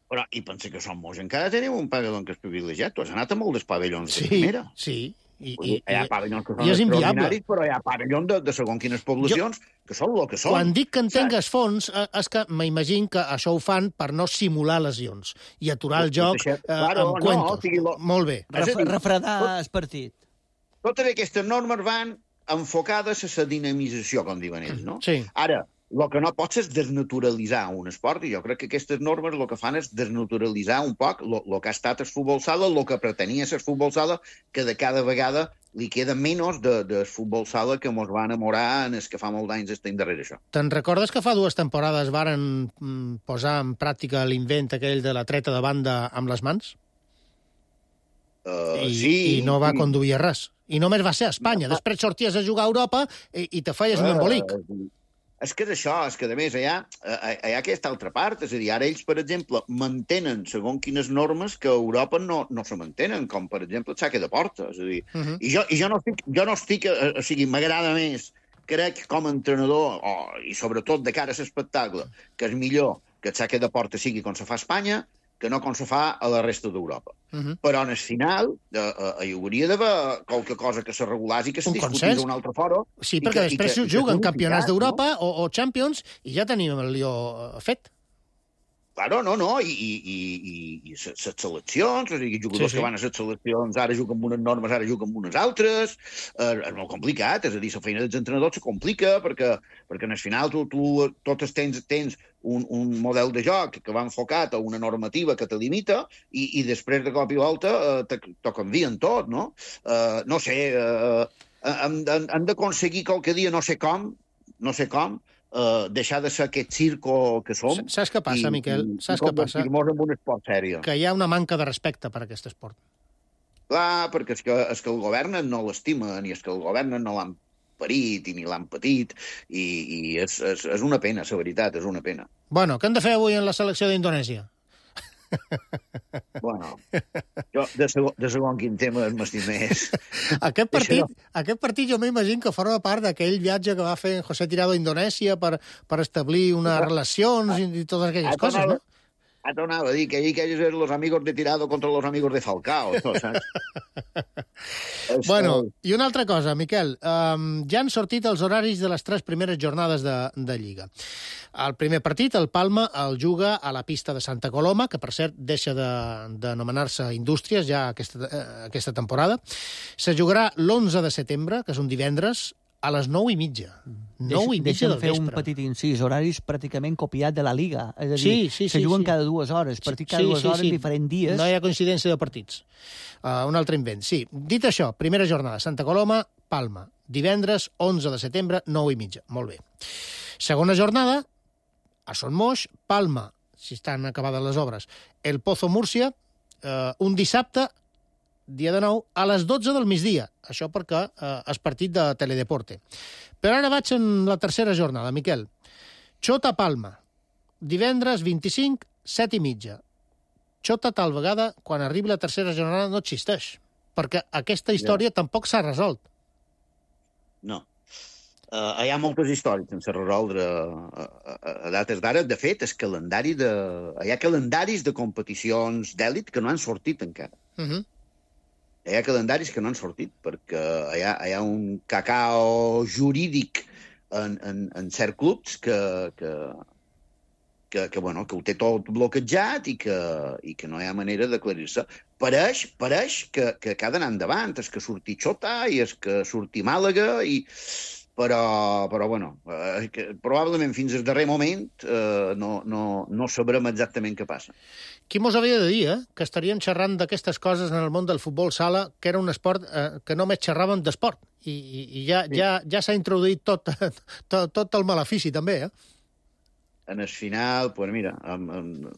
Però, i pensa que Son Moix encara teniu un pavelló que és privilegiat. Tu has anat a molts dels pavellons sí, de primera. Sí, i, i, hi ha pavellons que són extraordinaris, però hi ha pavellons de, de segons quines poblacions jo, que són el que són. Quan dic que entengues fons, és que m'imagino que això ho fan per no simular lesions i aturar el joc eh, claro, amb cuentos. No, sigui, lo... Molt bé. Ref, refredar el partit. Totes aquestes normes van enfocades a la dinamització, com diuen ells, no? Sí. Ara, el que no pots és desnaturalitzar un esport, i jo crec que aquestes normes el que fan és desnaturalitzar un poc el que ha estat el futbol sala, el que pretenia ser el futbol sala, que de cada vegada li queda menys de, del futbol sala que mos va enamorar en els que fa molt d'anys estem darrere això. Te'n recordes que fa dues temporades varen posar en pràctica l'invent aquell de la treta de banda amb les mans? Uh, I, sí. I no va conduir res. I només va ser a Espanya. No. Després sorties a jugar a Europa i, i te feies uh, un embolic. Uh, És que és això, és que, a més, hi ha, hi ha aquesta altra part. És a dir, ara ells, per exemple, mantenen segons quines normes que a Europa no, no se mantenen, com, per exemple, el saque de porta. És a dir, uh -huh. i, jo, i jo no estic, jo no estic o sigui, m'agrada més, crec, com a entrenador, oh, i sobretot de cara a l'espectacle, que és millor que el saque de porta sigui com se fa a Espanya, que no com se fa a la resta d'Europa. Uh -huh. Però en el final eh, eh, hi hauria d'haver qualque cosa que se regulàs i que se discutís un altre foro. Sí, perquè que, després que, juguen campionats d'Europa no? o, o Champions i ja tenim el lió fet. Claro, no, no, i, i, i, i les seleccions, o sigui, jugadors sí, sí. que van a les seleccions ara juguen amb unes normes, ara juguen amb unes altres, eh, és molt complicat, és a dir, la feina dels entrenadors se complica, perquè, perquè en el final tu, tu totes tens, tens un, un model de joc que va enfocat a una normativa que te limita i, i després de cop i volta eh, t'ho canvien tot, no? Eh, no sé, eh, hem, hem d'aconseguir qualque dia, no sé com, no sé com, Uh, deixar de ser aquest circo que som. Saps què passa, i, Miquel? Saps què passa? I convertir-nos en un esport sèrio. Que hi ha una manca de respecte per aquest esport. Clar, perquè és que, és que el govern no l'estima, ni és que el govern no l'han parit i ni l'han patit, i, i és, és, és una pena, la veritat, és una pena. Bueno, què hem de fer avui en la selecció d'Indonèsia? Bueno, jo de segon, de segon quin tema m'estim més. Aquest partit, aquest partit jo m'imagino que forma part d'aquell viatge que va fer José Tirado a Indonèsia per, per establir unes relacions i, i totes aquelles a coses, no? Ah, t'anava a dir que ahir aquells eren los amigos de Tirado contra los amigos de Falcao, no, saps? Bueno, i una altra cosa, Miquel. Um, ja han sortit els horaris de les tres primeres jornades de, de Lliga. El primer partit, el Palma, el juga a la pista de Santa Coloma, que, per cert, deixa d'anomenar-se de, Indústries ja aquesta, eh, aquesta temporada. Se jugarà l'onze de setembre, que és un divendres, a les nou i mitja. Nou i mitja del fer vespre. un petit incís, horaris pràcticament copiat de la Liga. És a dir, sí, sí, se sí, juguen sí. cada dues hores, partit cada sí, dues sí, hores, sí. diferents dies. No hi ha coincidència de partits. Uh, un altre invent, sí. Dit això, primera jornada, Santa Coloma, Palma. Divendres, onze de setembre, nou i mitja. Molt bé. Segona jornada, a Son Moix, Palma, si estan acabades les obres. El Pozo Múrcia, uh, un dissabte, dia de nou, a les dotze del migdia. Això perquè eh, és partit de Teledeporte. Però ara vaig en la tercera jornada, Miquel. Xota Palma, divendres vint-i-cinc, set i mitja. Xota tal vegada, quan arribi la tercera jornada, no existeix. Perquè aquesta història yeah. tampoc s'ha resolt. No. Uh, hi ha moltes històries sense resoldre a, a, a dates d'ara. De fet, el calendari de... hi ha calendaris de competicions d'èlit que no han sortit encara. Uh-huh. Hi ha calendaris que no han sortit, perquè hi ha, hi ha un cacao jurídic en, en, en certs clubs que, que, que, que, bueno, que ho té tot bloquejat i que, i que no hi ha manera d'aclarir-se. Pareix, pareix que, que ha d'anar endavant, és que surti Xota i és que surti Màlaga i... Però, però bueno, eh, que probablement fins al darrer moment eh, no, no, no sabrem exactament què passa. Qui mos havia de dir, eh?, que estarien xerrant d'aquestes coses en el món del futbol sala, que era un esport eh, que només xerraven d'esport. I, i, i ja, sí. ja, ja s'ha introduït tot, tot, tot el malefici, també, eh? En el final, pues mira, amb, amb,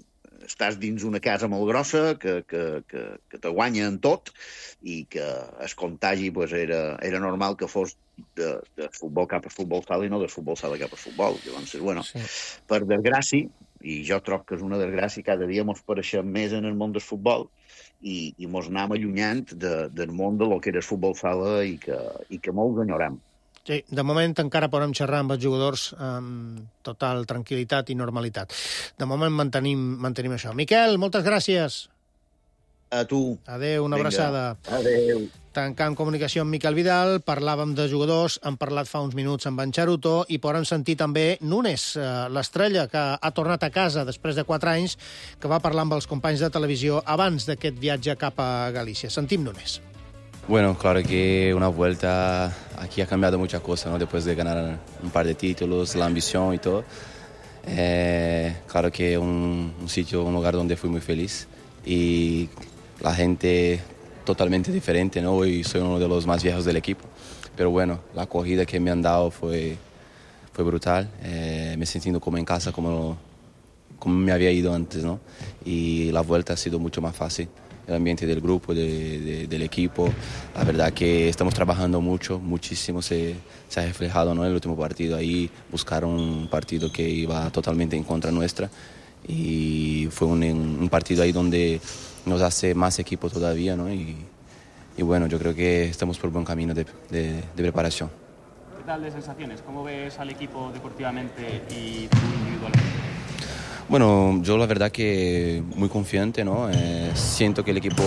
estàs dins una casa molt grossa que, que, que, que te guanya en tot i que el contagi pues, era, era normal que fos de, de futbol cap a futbol sala i no de futbol sala cap a futbol. Llavors, bueno, sí. Per desgràcia, i jo trobo que és una desgràcia, cada dia mos pareixem més en el món del futbol i, i mos anem allunyant de, del món de lo que era el futbol sala i que, i que molts enyorem. Sí, de moment encara podem xerrar amb els jugadors amb total tranquil·litat i normalitat. De moment mantenim, mantenim això. Miquel, moltes gràcies. A tu. Adéu, una Vinga. abraçada. Adéu. Tancant comunicació amb Miquel Vidal, parlàvem de jugadors, hem parlat fa uns minuts amb en Charuto i podem sentir també Nunes, l'estrella que ha tornat a casa després de quatre anys, que va parlar amb els companys de televisió abans d'aquest viatge cap a Galícia. Sentim Nunes. Bueno, claro que una vuelta aquí ha cambiado muchas cosas, ¿no? Después de ganar un par de títulos, la ambición y todo. Eh, claro que un, un sitio, un lugar donde fui muy feliz y la gente totalmente diferente, ¿no? Hoy soy uno de los más viejos del equipo, pero bueno, la acogida que me han dado fue, fue brutal. Eh, me he sentido como en casa, como, como me había ido antes, ¿no? Y la vuelta ha sido mucho más fácil. El ambiente del grupo, de, de, del equipo. La verdad que estamos trabajando mucho, muchísimo se, se ha reflejado, ¿no? En el último partido ahí, buscaron un partido que iba totalmente en contra nuestra y fue un, un partido ahí donde nos hace más equipo todavía, ¿no? Y, y bueno, yo creo que estamos por buen camino de, de, de preparación. ¿Qué tal de sensaciones? ¿Cómo ves al equipo deportivamente y tú individualmente? Bueno, yo la verdad que muy confiante, ¿no? Eh, siento que el equipo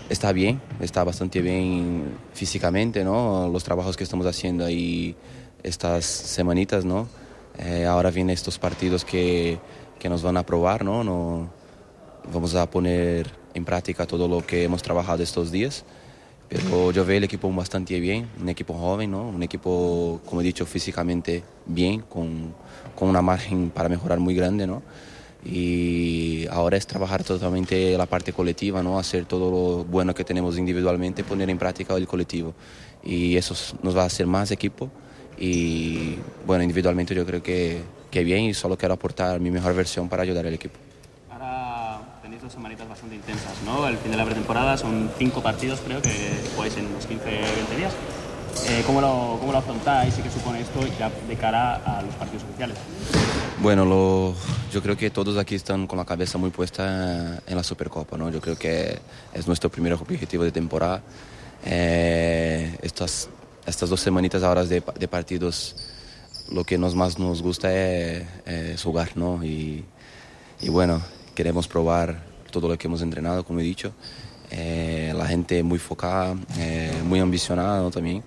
está bien, está bastante bien físicamente, ¿no? Los trabajos que estamos haciendo ahí estas semanitas, ¿no? Eh, ahora vienen estos partidos que, que nos van a probar, ¿no? No, vamos a poner en práctica todo lo que hemos trabajado estos días. Pero yo veo el equipo bastante bien, un equipo joven, ¿no? Un equipo, como he dicho, físicamente bien, con, con una margen para mejorar muy grande, ¿no? Y ahora es trabajar totalmente la parte colectiva, ¿no? Hacer todo lo bueno que tenemos individualmente, poner en práctica el colectivo. Y eso nos va a hacer más equipo. Y bueno, individualmente yo creo que, que bien y solo quiero aportar mi mejor versión para ayudar al equipo. Dos semanitas bastante intensas, ¿no? El fin de la pretemporada son cinco partidos, creo, que jugáis en unos quince a veinte días. Eh, ¿cómo, lo, ¿Cómo lo afrontáis y qué supone esto ya de cara a los partidos oficiales? Bueno, lo, yo creo que todos aquí están con la cabeza muy puesta en la Supercopa, ¿no? Yo creo que es nuestro primer objetivo de temporada. Eh, estas, estas dos semanitas ahora de, de partidos, lo que nos más nos gusta es, es jugar, ¿no? Y, y bueno, queremos probar todo lo que hemos entrenado, como he dicho. Eh, la gente muy enfocada, eh, muy ambicionada, ¿no? También.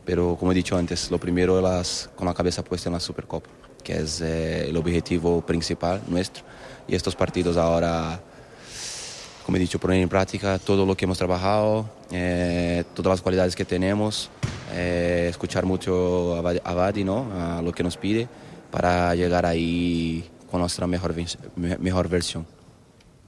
Pero como he dicho antes, lo primero es las, con la cabeza puesta en la Supercopa, que es eh, el objetivo principal nuestro. Y estos partidos ahora, como he dicho, poner en práctica todo lo que hemos trabajado, eh, todas las cualidades que tenemos, eh, escuchar mucho a Vadi, ¿no? A lo que nos pide, para llegar ahí con nuestra mejor, mejor versión.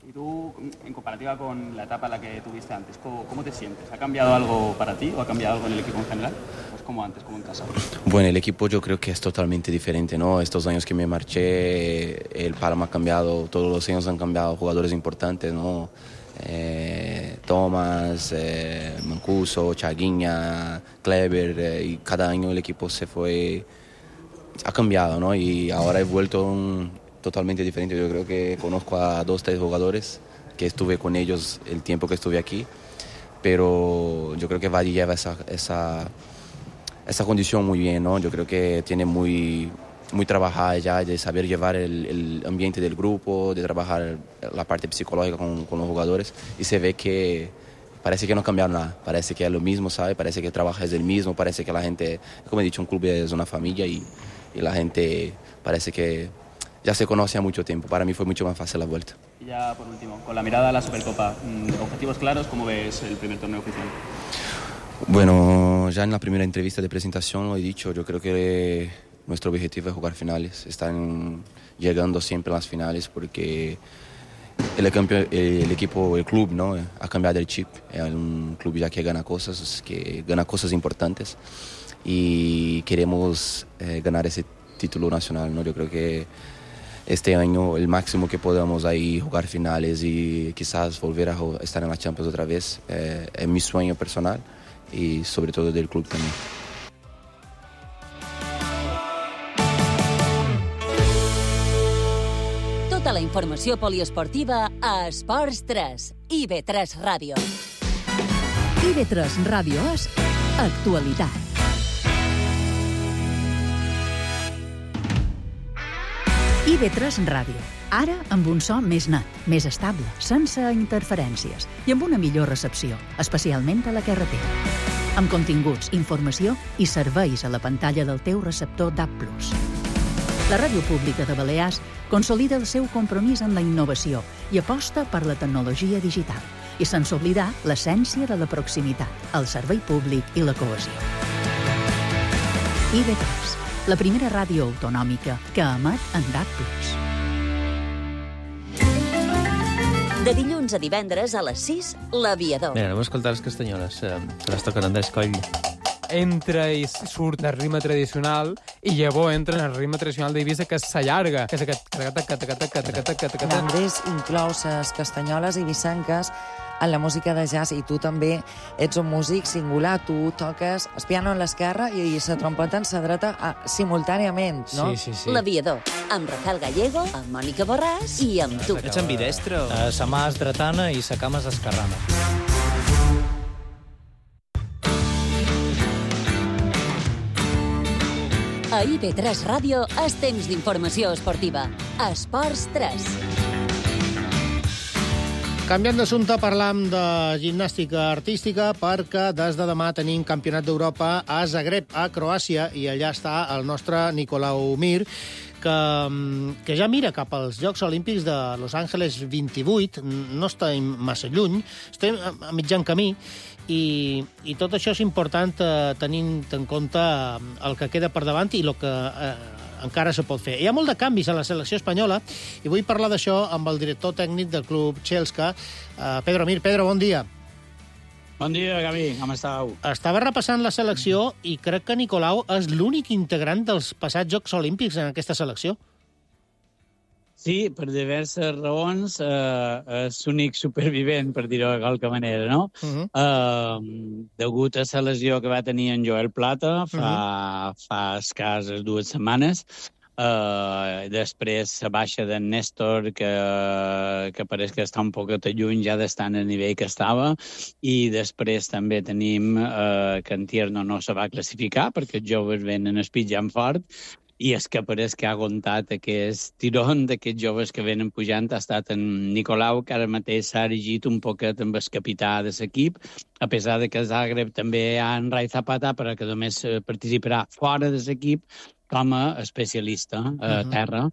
Y tú, en comparativa con la etapa en la que tuviste antes, ¿cómo, cómo te sientes? ¿Ha cambiado algo para ti o ha cambiado algo en el equipo en general? Pues como antes, como en casa. Bueno, el equipo yo creo que es totalmente diferente, ¿no? Estos años que me marché, el Palma ha cambiado, todos los años han cambiado jugadores importantes, ¿no? Eh, Thomas, eh, Mancuso, Chaguinha, Kleber, eh, y cada año el equipo se fue, ha cambiado, ¿no? Y ahora he vuelto un totalmente diferente. Yo creo que conozco a dos, tres jugadores que estuve con ellos el tiempo que estuve aquí, pero yo creo que Vadi lleva esa, esa, esa condición muy bien, ¿no? Yo creo que tiene muy, muy trabajada ya de saber llevar el, el ambiente del grupo, de trabajar la parte psicológica con, con los jugadores, y se ve que parece que no cambiaron nada, parece que es lo mismo, ¿sabe? Parece que el trabajo es el mismo, parece que la gente, como he dicho, un club es una familia y, y la gente parece que ya se conoce a mucho tiempo. Para mí fue mucho más fácil la vuelta. Y ya por último, con la mirada a la Supercopa, objetivos claros, ¿cómo ves el primer torneo oficial? Bueno, ya en la primera entrevista de presentación lo he dicho, yo creo que nuestro objetivo es jugar finales, están llegando siempre a las finales porque el, campeón, el equipo, el club, ¿no? Ha cambiado el chip, es un club ya que gana cosas, que gana cosas importantes y queremos eh, ganar ese título nacional, ¿no? Yo creo que este año el máximo que podamos ahí jugar finales y quizás volver a estar en la Champions otra vez eh, es mi sueño personal y sobre todo del club también. Tota la informació poliesportiva a Esports tres i be tres Ràdio. i be tres Ràdio és actualitat. i be tres Ràdio. Ara amb un so més net, més estable, sense interferències i amb una millor recepció, especialment a la carretera. Amb continguts, informació i serveis a la pantalla del teu receptor D A B plus. La Ràdio Pública de Balears consolida el seu compromís amb la innovació i aposta per la tecnologia digital, i sense oblidar l'essència de la proximitat, el servei públic i la cohesió. i be tres, la primera ràdio autonòmica que emet en D A B plus. De dilluns a divendres a les sis, l'Aviador. Mira, anem a escoltar les castanyoles, eh, que les toquen Andrés Coll. Entra i surt del ritme tradicional i llavors entra en el ritme tradicional d'Eivissa, que s'allarga, que és aquest... Andrés inclou les castanyoles eivissenques en la música de jazz, i tu també ets un músic singular, tu toques el piano en l'esquerra i la trompeta en la dreta simultàniament, no? Sí, sí, sí. L'Aviador, amb Rafael Gallego, amb Mònica Borràs i amb tu. Ets ambidestre? Uh, sa mà és dretana i sa cama és esquerrana. A i be tres Ràdio és temps d'informació esportiva. Esports tres. Canviant d'assumpte, parlam de gimnàstica artística perquè des de demà tenim Campionat d'Europa a Zagreb, a Croàcia, i allà està el nostre Nicolau Mir, que, que ja mira cap als Jocs Olímpics de Los Angeles vint-i-vuit, no estem massa lluny, estem a mitjan camí, i, i tot això és important eh, tenint en compte el que queda per davant i el que eh, encara se pot fer. Hi ha molt de canvis a la selecció espanyola i vull parlar d'això amb el director tècnic del club Chelsea, eh, Pedro Mir. Pedro, bon dia. Bon dia, Gavi, com estàu? Estava repassant la selecció i crec que Nicolau és l'únic integrant dels passats Jocs Olímpics en aquesta selecció. Sí, per diverses raons, eh, és l'únic supervivent, per dir-ho de qualque manera, no? Uh-huh. Eh, degut a la lesió que va tenir en Joel Plata fa, uh-huh. fa escasses dues setmanes, eh, després la baixa d'en Néstor, que, que pareix que està un poquet lluny ja d'estar en el nivell que estava, i després també tenim eh, que en Tierno no se va classificar perquè els joves venen espitjant fort, i és que pareix que ha aguantat aquest tirón d'aquests joves que venen pujant. Ha estat en Nicolau, que ara mateix s'ha erigit un poquet amb el capità de l'equip, a pesar de que a Zagreb també hi ha en Rai Zapata, però que només participarà fora de l'equip com a especialista a uh-huh. terra.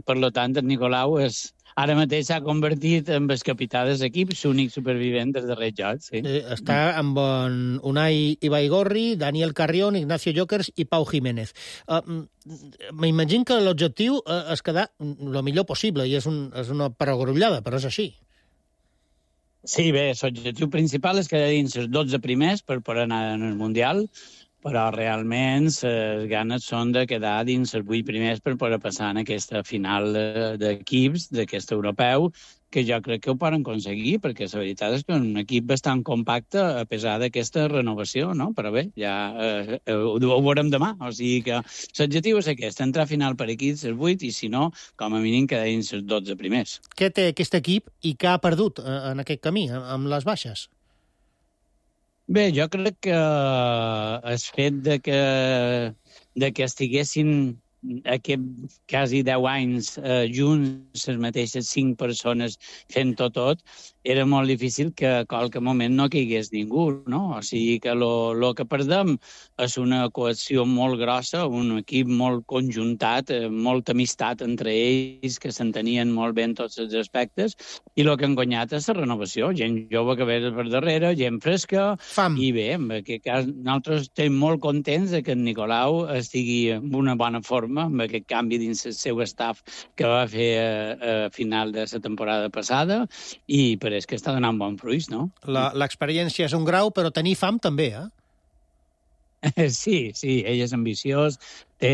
Per tant, en Nicolau és... Ara mateix s'ha convertit en el capità de l'equip, l'únic supervivent dels darrers jocs. Sí. Eh, està amb en Unai Ibaigorri, Daniel Carrión, Ignacio Jokers i Pau Jiménez. Uh, M'imagino que l'objectiu uh, és quedar el millor possible, i és, un, és una perogrullada, però és així. Sí, bé, l'objectiu principal és quedar dins els dotze primers per poder anar en el Mundial, però realment les ganes són de quedar dins els vuit primers per poder passar en aquesta final d'equips d'aquest europeu, que jo crec que ho poden aconseguir, perquè la veritat és que és un equip bastant compacte a pesar d'aquesta renovació, no? Però bé, ja eh, ho, ho veurem demà. O sigui que l'objectiu és aquest, entrar a final per equips els vuit, i si no, com a mínim quedar dins els dotze primers. Què té aquest equip i què ha perdut en aquest camí, amb les baixes? Bé, jo crec que el fet de que, de que estiguessin aquest quasi deu anys eh, junts, les mateixes cinc persones fent-ho tot, era molt difícil que a qualque moment no caigués ningú, no? O sigui que el que perdem és una cohesió molt grossa, un equip molt conjuntat, eh, molta amistat entre ells, que s'entenien molt bé en tots els aspectes, i el que han guanyat és la renovació, gent jove que ve per darrere, gent fresca, Fam. I bé, en aquest cas nosaltres estem molt contents de que en Nicolau estigui en una bona forma, amb aquest canvi dins el seu staff que va fer a, a final de la temporada passada, i per és que està donant bon fruits, no? L'experiència és un grau, però tenir fam també, eh? Sí, sí, ell és ambiciós, té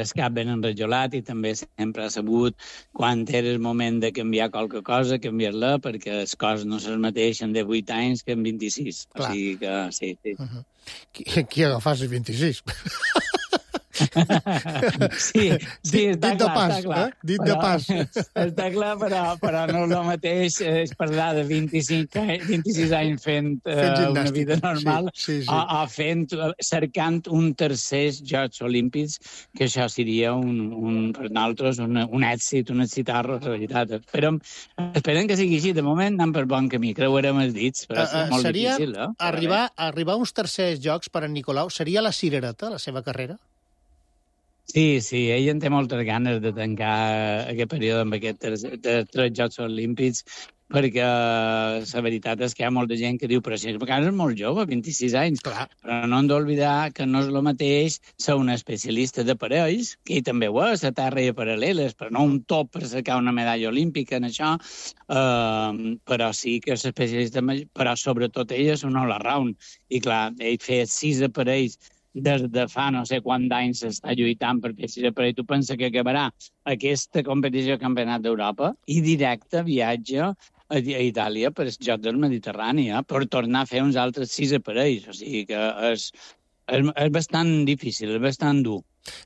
el cap ben enrajolat i també sempre ha sabut quan era el moment de canviar qualque cosa, canviar-la, perquè les coses no se mateixen de vuit anys que en vint-i-sis. Clar. O sigui que sí, sí. Uh -huh. Qui, qui agafàs els vint-i-sis? Sí, sí, està dit de clar, pas, està clar. Eh? Dit però, de pas. Està clar, però, però no és el mateix és parlar de vint-i-cinc, vint-i-sis anys fent, Fent uh, una gimnàstica, vida normal, sí, sí, sí. A, a fent, cercant un tercer Jocs Olímpics, que això seria un, un, per nosaltres un, un èxit, un excitar-lo, en realitat. Esperem, esperem que sigui així. De moment anem per bon camí, creuarem els dits, però és Uh, uh, molt seria difícil, eh? arribar, arribar a uns tercers jocs per en Nicolau, seria la cirereta, la seva carrera? Sí, sí, ell en té moltes ganes de tancar aquest període amb aquests tres, tres Jocs Olímpics, perquè la veritat és que hi ha molta gent que diu però si és molt jove, vint-i-sis anys, clar. Però no hem d'oblidar que no és el mateix ser un especialista de parells, que ell també ho és, a terra i a paral·leles, però no un top per sacar una medalla olímpica en això, uh, però sí que és especialista, però sobretot ell és un all-around, i clar, ell feia sis aparells des de fa no sé quants anys s'està lluitant per fer sis aparells. Tu pensa que acabarà aquesta competició de Campionat d'Europa i directe viatge a Itàlia per els Jocs del Mediterrani, eh, per tornar a fer uns altres sis aparells. O sigui que és, és, és bastant difícil, és bastant dur.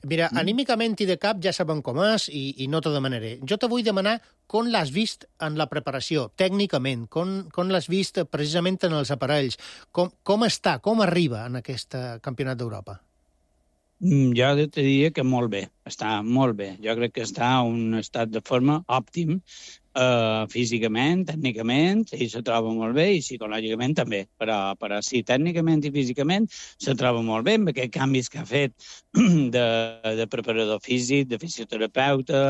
Mira, anímicament i de cap ja saben com és i, i no te demanaré. Jo te vull demanar com l'has vist en la preparació, tècnicament, com, com l'has vist precisament en els aparells, com, com està, com arriba en aquest Campionat d'Europa? Jo te diria que molt bé, està molt bé. Jo crec que està en un estat de forma òptim, Uh, físicament, tècnicament, ell se troba molt bé i psicològicament també, però, però sí, tècnicament i físicament se troba molt bé amb aquests canvis que ha fet de, de preparador físic, de fisioterapeuta,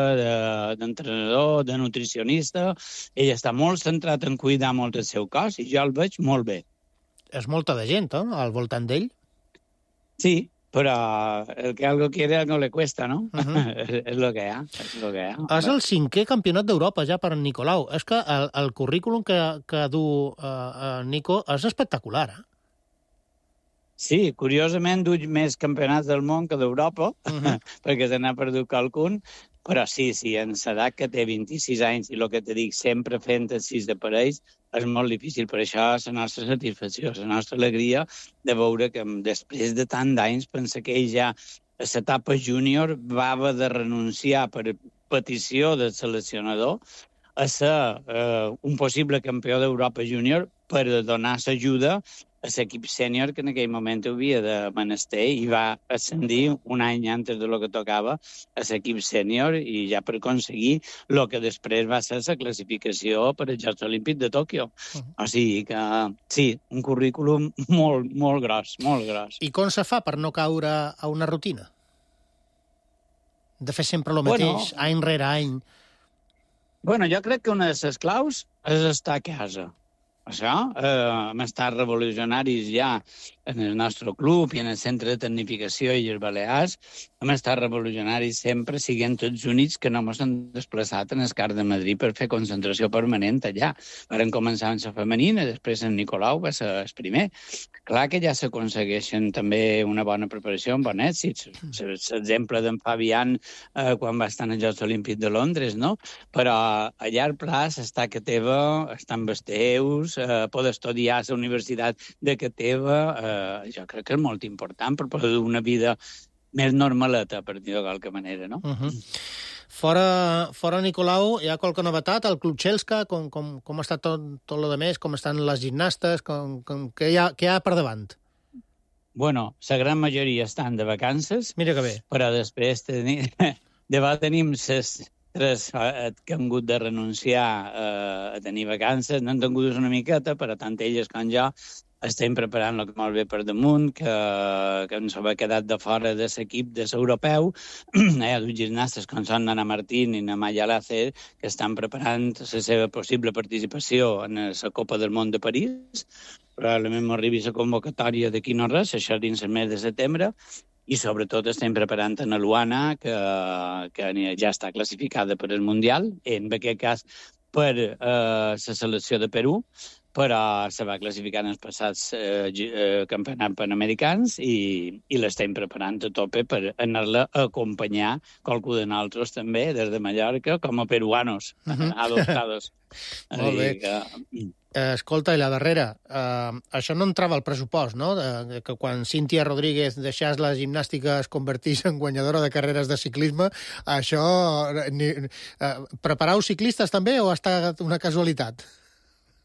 d'entrenador, de, de nutricionista. Ell està molt centrat en cuidar molt el seu cos i jo el veig molt bé. És molta de gent, no?, al voltant d'ell? Sí, però el que algo quiere, algo le cuesta, ¿no? Uh -huh. És el que hi ha, és el que hi ha. És el cinquè campionat d'Europa ja per en Nicolau. És que el, el currículum que, que du uh, uh, Nico és espectacular, eh? Sí, curiosament du més campionats del món que d'Europa, uh -huh. perquè se n'ha perdut qualcun, però sí, sí, en l'edat que té vint-i-sis anys i el que te dic, sempre fent els sis aparells, és molt difícil. Per això és la nostra satisfacció, la nostra alegria de veure que després de tant d'anys pensa que ell ja a l'etapa júnior va haver de renunciar per petició del seleccionador a ser eh, un possible campió d'Europa júnior per donar l'ajuda a l'equip sènior que en aquell moment havia de menester i va ascendir un any antes de lo que tocava a l'equip sènior i ja per aconseguir el que després va ser la classificació per als Jocs Olímpics de Tòquio. Uh-huh. O sigui que, sí, un currículum molt, molt gros, molt gros. I com se fa per no caure a una rutina? De fer sempre el mateix, bueno, any rere any? Bueno, jo crec que una de les claus és estar a casa. Això, eh, hem estat revolucionaris ja en el nostre club i en el Centre de Tecnificació i els Balears. Hem estat revolucionaris sempre, siguent tots units, que no ens han desplaçat en el C A R de Madrid per fer concentració permanent allà. Vam començar amb la femenina, després en Nicolau va ser el primer. Clar que ja s'aconsegueixen també una bona preparació amb bon èxit. L'exemple d'en Fabián eh, quan va estar als Jocs Olímpics de Londres, no? Però a llarg plaç està que teva, està amb els teus, eh, poder estudiar a la universitat de que teva, eh, jo crec que és molt important per poder dur una vida més normaleta, per dir-ho de qualque manera, no? Uh-huh. Fora, fora Nicolau, hi ha qualque novetat? El Club Xelska, com, com, com està tot, tot lo de més? Com estan les gimnastes? Com, com, què, hi ha, què hi ha per davant? Bueno, la gran majoria estan de vacances. Mira que bé. Però després tenim, de tenim ses tres que han hagut de renunciar eh, a tenir vacances. No han tingut una miqueta, però tant elles com jo estem preparant-lo molt bé per damunt, que, que ens ha quedat de fora de l'equip de l'europeu. Hi ha dos gimnastes com són Ana Martín i Maya Lácer, que estan preparant la seva possible participació en la Copa del Món de París. Probablement m'arribi la convocatòria d'aquí no res, això dins el mes de setembre, i sobretot estem preparant a Luana, que, que ja està classificada per al Mundial, en aquest cas per eh, la selecció de Perú, però se va classificar en els passats eh, eh, campionats panamericans i, i l'estem preparant a tope per anar-la a acompanyar qualcú de nosaltres també, des de Mallorca, com a peruanos, uh-huh. adoptados. Molt bé. Que... Escolta, i la darrera, eh, això no entrava al pressupost, no? De, que quan Cíntia Rodríguez deixés la gimnàstica es convertís en guanyadora de carreres de ciclisme, això... Ni, eh, preparau ciclistes també o ha estat una casualitat?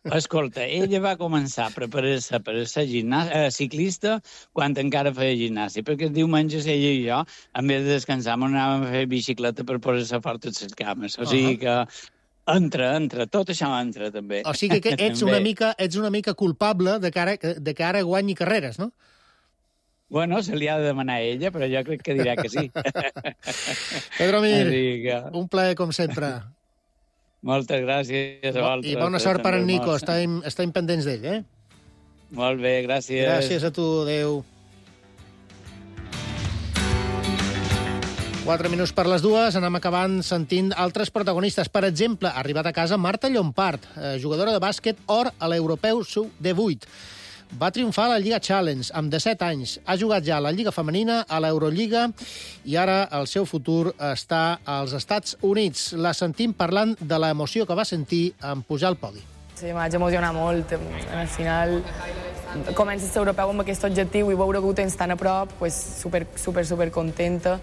Escolta, ella va començar a preparar-se per ser eh, ciclista quan encara feia gimnàstica, perquè els diumenges ella i jo, en vez de descansar, anàvem a fer bicicleta per posar-se fort a les cames. O sigui que entra, entra, tot això entra també. O sigui que ets una mica, ets una mica culpable de que ara, de que ara guanyi carreres, no? Bueno, se li ha de demanar a ella, però jo crec que dirà que sí. Pedro Mir, que... un plaer com sempre. Moltes gràcies a vosaltres. I bona sort per en Nico, estem, estem pendents d'ell, eh? Molt bé, gràcies. Gràcies a tu, adéu. Quatre minuts per les dues, anem acabant sentint altres protagonistes. Per exemple, ha arribat a casa Marta Llompart, jugadora de bàsquet or a l'Europeu sub divuit. Va triomfar a la Lliga Challenge amb disset anys. Ha jugat ja a la Lliga Femenina, a l'Eurolliga, i ara el seu futur està als Estats Units. La sentim parlant de l'emoció que va sentir en pujar al podi. Sí, m'haig emocionat molt. Al final comences l'Europeu amb aquest objectiu i veure que ho tens tan a prop, pues, super, super, super contenta.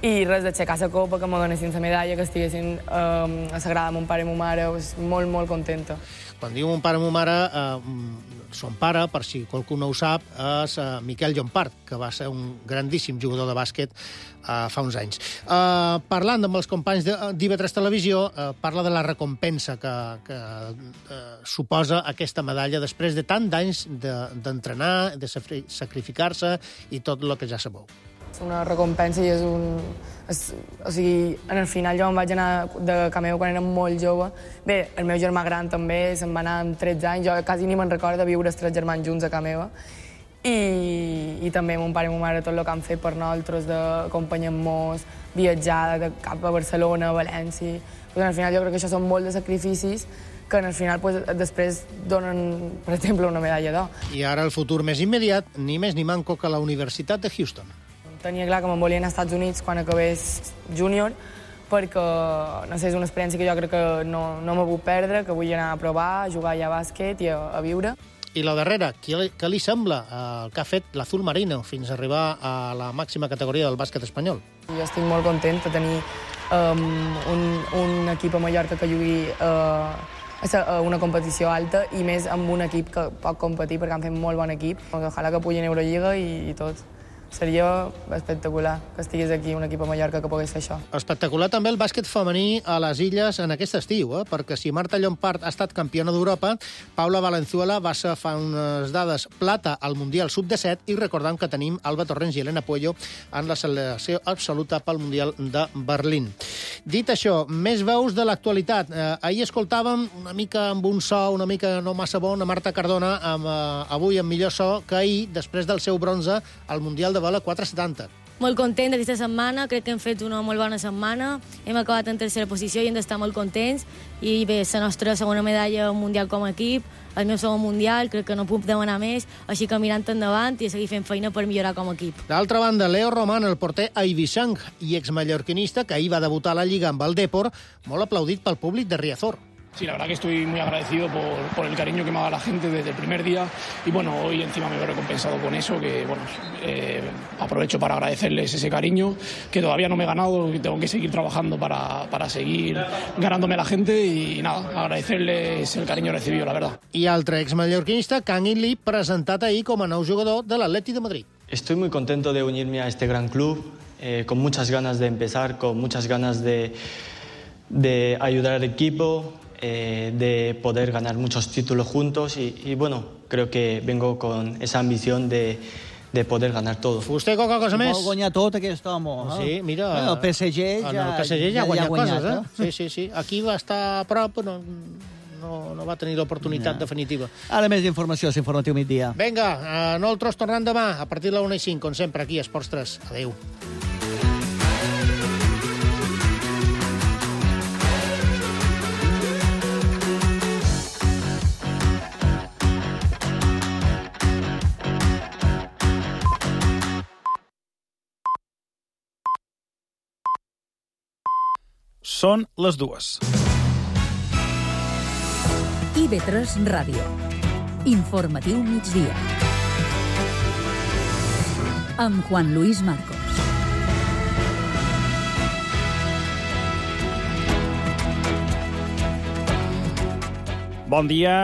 I res, d'aixecar la copa, que me donessin la medalla, que estiguessin eh, a Sagrada mon pare i mon mare, pues, molt, molt contenta. Quan diu mon pare i mon mare, eh, son pare, per si qualcú no ho sap, és eh, Miquel Llompart, que va ser un grandíssim jugador de bàsquet eh, fa uns anys. Eh, parlant amb els companys d'I V tres Televisió, eh, parla de la recompensa que, que eh, suposa aquesta medalla després de tant d'anys d'entrenar, de, de sacrificar-se i tot el que ja sabeu. És una recompensa i és un... És, o sigui, en el final jo em vaig anar de Cameo quan era molt jove. Bé, el meu germà gran també se'n va anar amb tretze anys. Jo quasi ni me'n recordo de viure els tres germans junts a Cameo. I, i també mon pare i mon mare tot el que han fet per nosaltres, d'acompanyar-nos, viatjar de cap a Barcelona, a València. Pues, al final jo crec que això són molt de sacrificis que en el final pues, després donen, per exemple, una medalla d'or. I ara el futur més immediat, ni més ni manco que la Universitat de Houston. Tenia clar que me'n volia anar als Estats Units quan acabés júnior, perquè, no sé, és una experiència que jo crec que no, no m'he vull perdre, que vull anar a provar, a jugar allà a bàsquet i a, a viure. I la darrera, què, què li sembla el que ha fet l'Azul Marino fins a arribar a la màxima categoria del bàsquet espanyol? Jo estic molt content de tenir um, un, un equip a Mallorca que jugui uh, a una competició alta i més amb un equip que pot competir perquè han fet molt bon equip. Ojalà que pugui en Eurolliga i, i tot. Seria espectacular que estigués aquí un equip a Mallorca que pogués fer això. Espectacular també el bàsquet femení a les Illes en aquest estiu, eh? Perquè si Marta Llompart ha estat campiona d'Europa, Paula Valenzuela va ser fa unes dades plata al Mundial sub disset i recordem que tenim Alba Torrents i Elena Puello en la selecció absoluta pel Mundial de Berlín. Dit això, més veus de l'actualitat. Eh, ahir escoltàvem una mica amb un so una mica no massa bon a Marta Cardona, amb, eh, avui amb millor so que ahir, després del seu bronze al Mundial de Vela quatre setanta. Molt content d'aquesta setmana, crec que hem fet una molt bona setmana, hem acabat en tercera posició i hem d'estar molt contents, i bé, la nostra segona medalla mundial com a equip, el meu segon mundial, crec que no puc demanar més, així que mirant endavant i a seguir fent feina per millorar com a equip. D'altra banda, Leo Román, el porter eivissang i exmallorquinista, que ahir va debutar a la Lliga amb el Depor, molt aplaudit pel públic de Riazor. Sí, la verdad que estoy muy agradecido por, por el cariño que me ha dado la gente desde el primer día y bueno, hoy encima me veo recompensado con eso, que bueno, eh, aprovecho para agradecerles ese cariño, que todavía no me he ganado, que tengo que seguir trabajando para, para seguir ganándome a la gente y nada, agradecerles el cariño recibido, la verdad. I altre exmallorquinista, Kangin Lee, presentat ahir com a nou jugador de l'Atleti de Madrid. Estoy muy contento de unirme a este gran club, eh, con muchas ganas de empezar, con muchas ganas de, de ayudar al equipo, eh, de poder ganar muchos títulos juntos y, y bueno, creo que vengo con esa ambición de, de poder ganar todo. Vostè qualque cosa més? Vol guanyar tot aquest home. Eh? Sí, mira... Bueno, el P S G ja, en el P S G ja, ja ha guanyat, guanyat coses, eh? eh? Sí, sí, sí. Aquí va estar a prop, no, no, no va tenir l'oportunitat No. definitiva. Ara més informació, l'informatiu migdia. Vinga, a nosaltres tornem demà, a partir de la una i cinc, com sempre, aquí a Esports tres. Adéu. Són les dues. I B tres Ràdio. Informatiu migdia. Amb Juan Luis Marcos. Bon dia.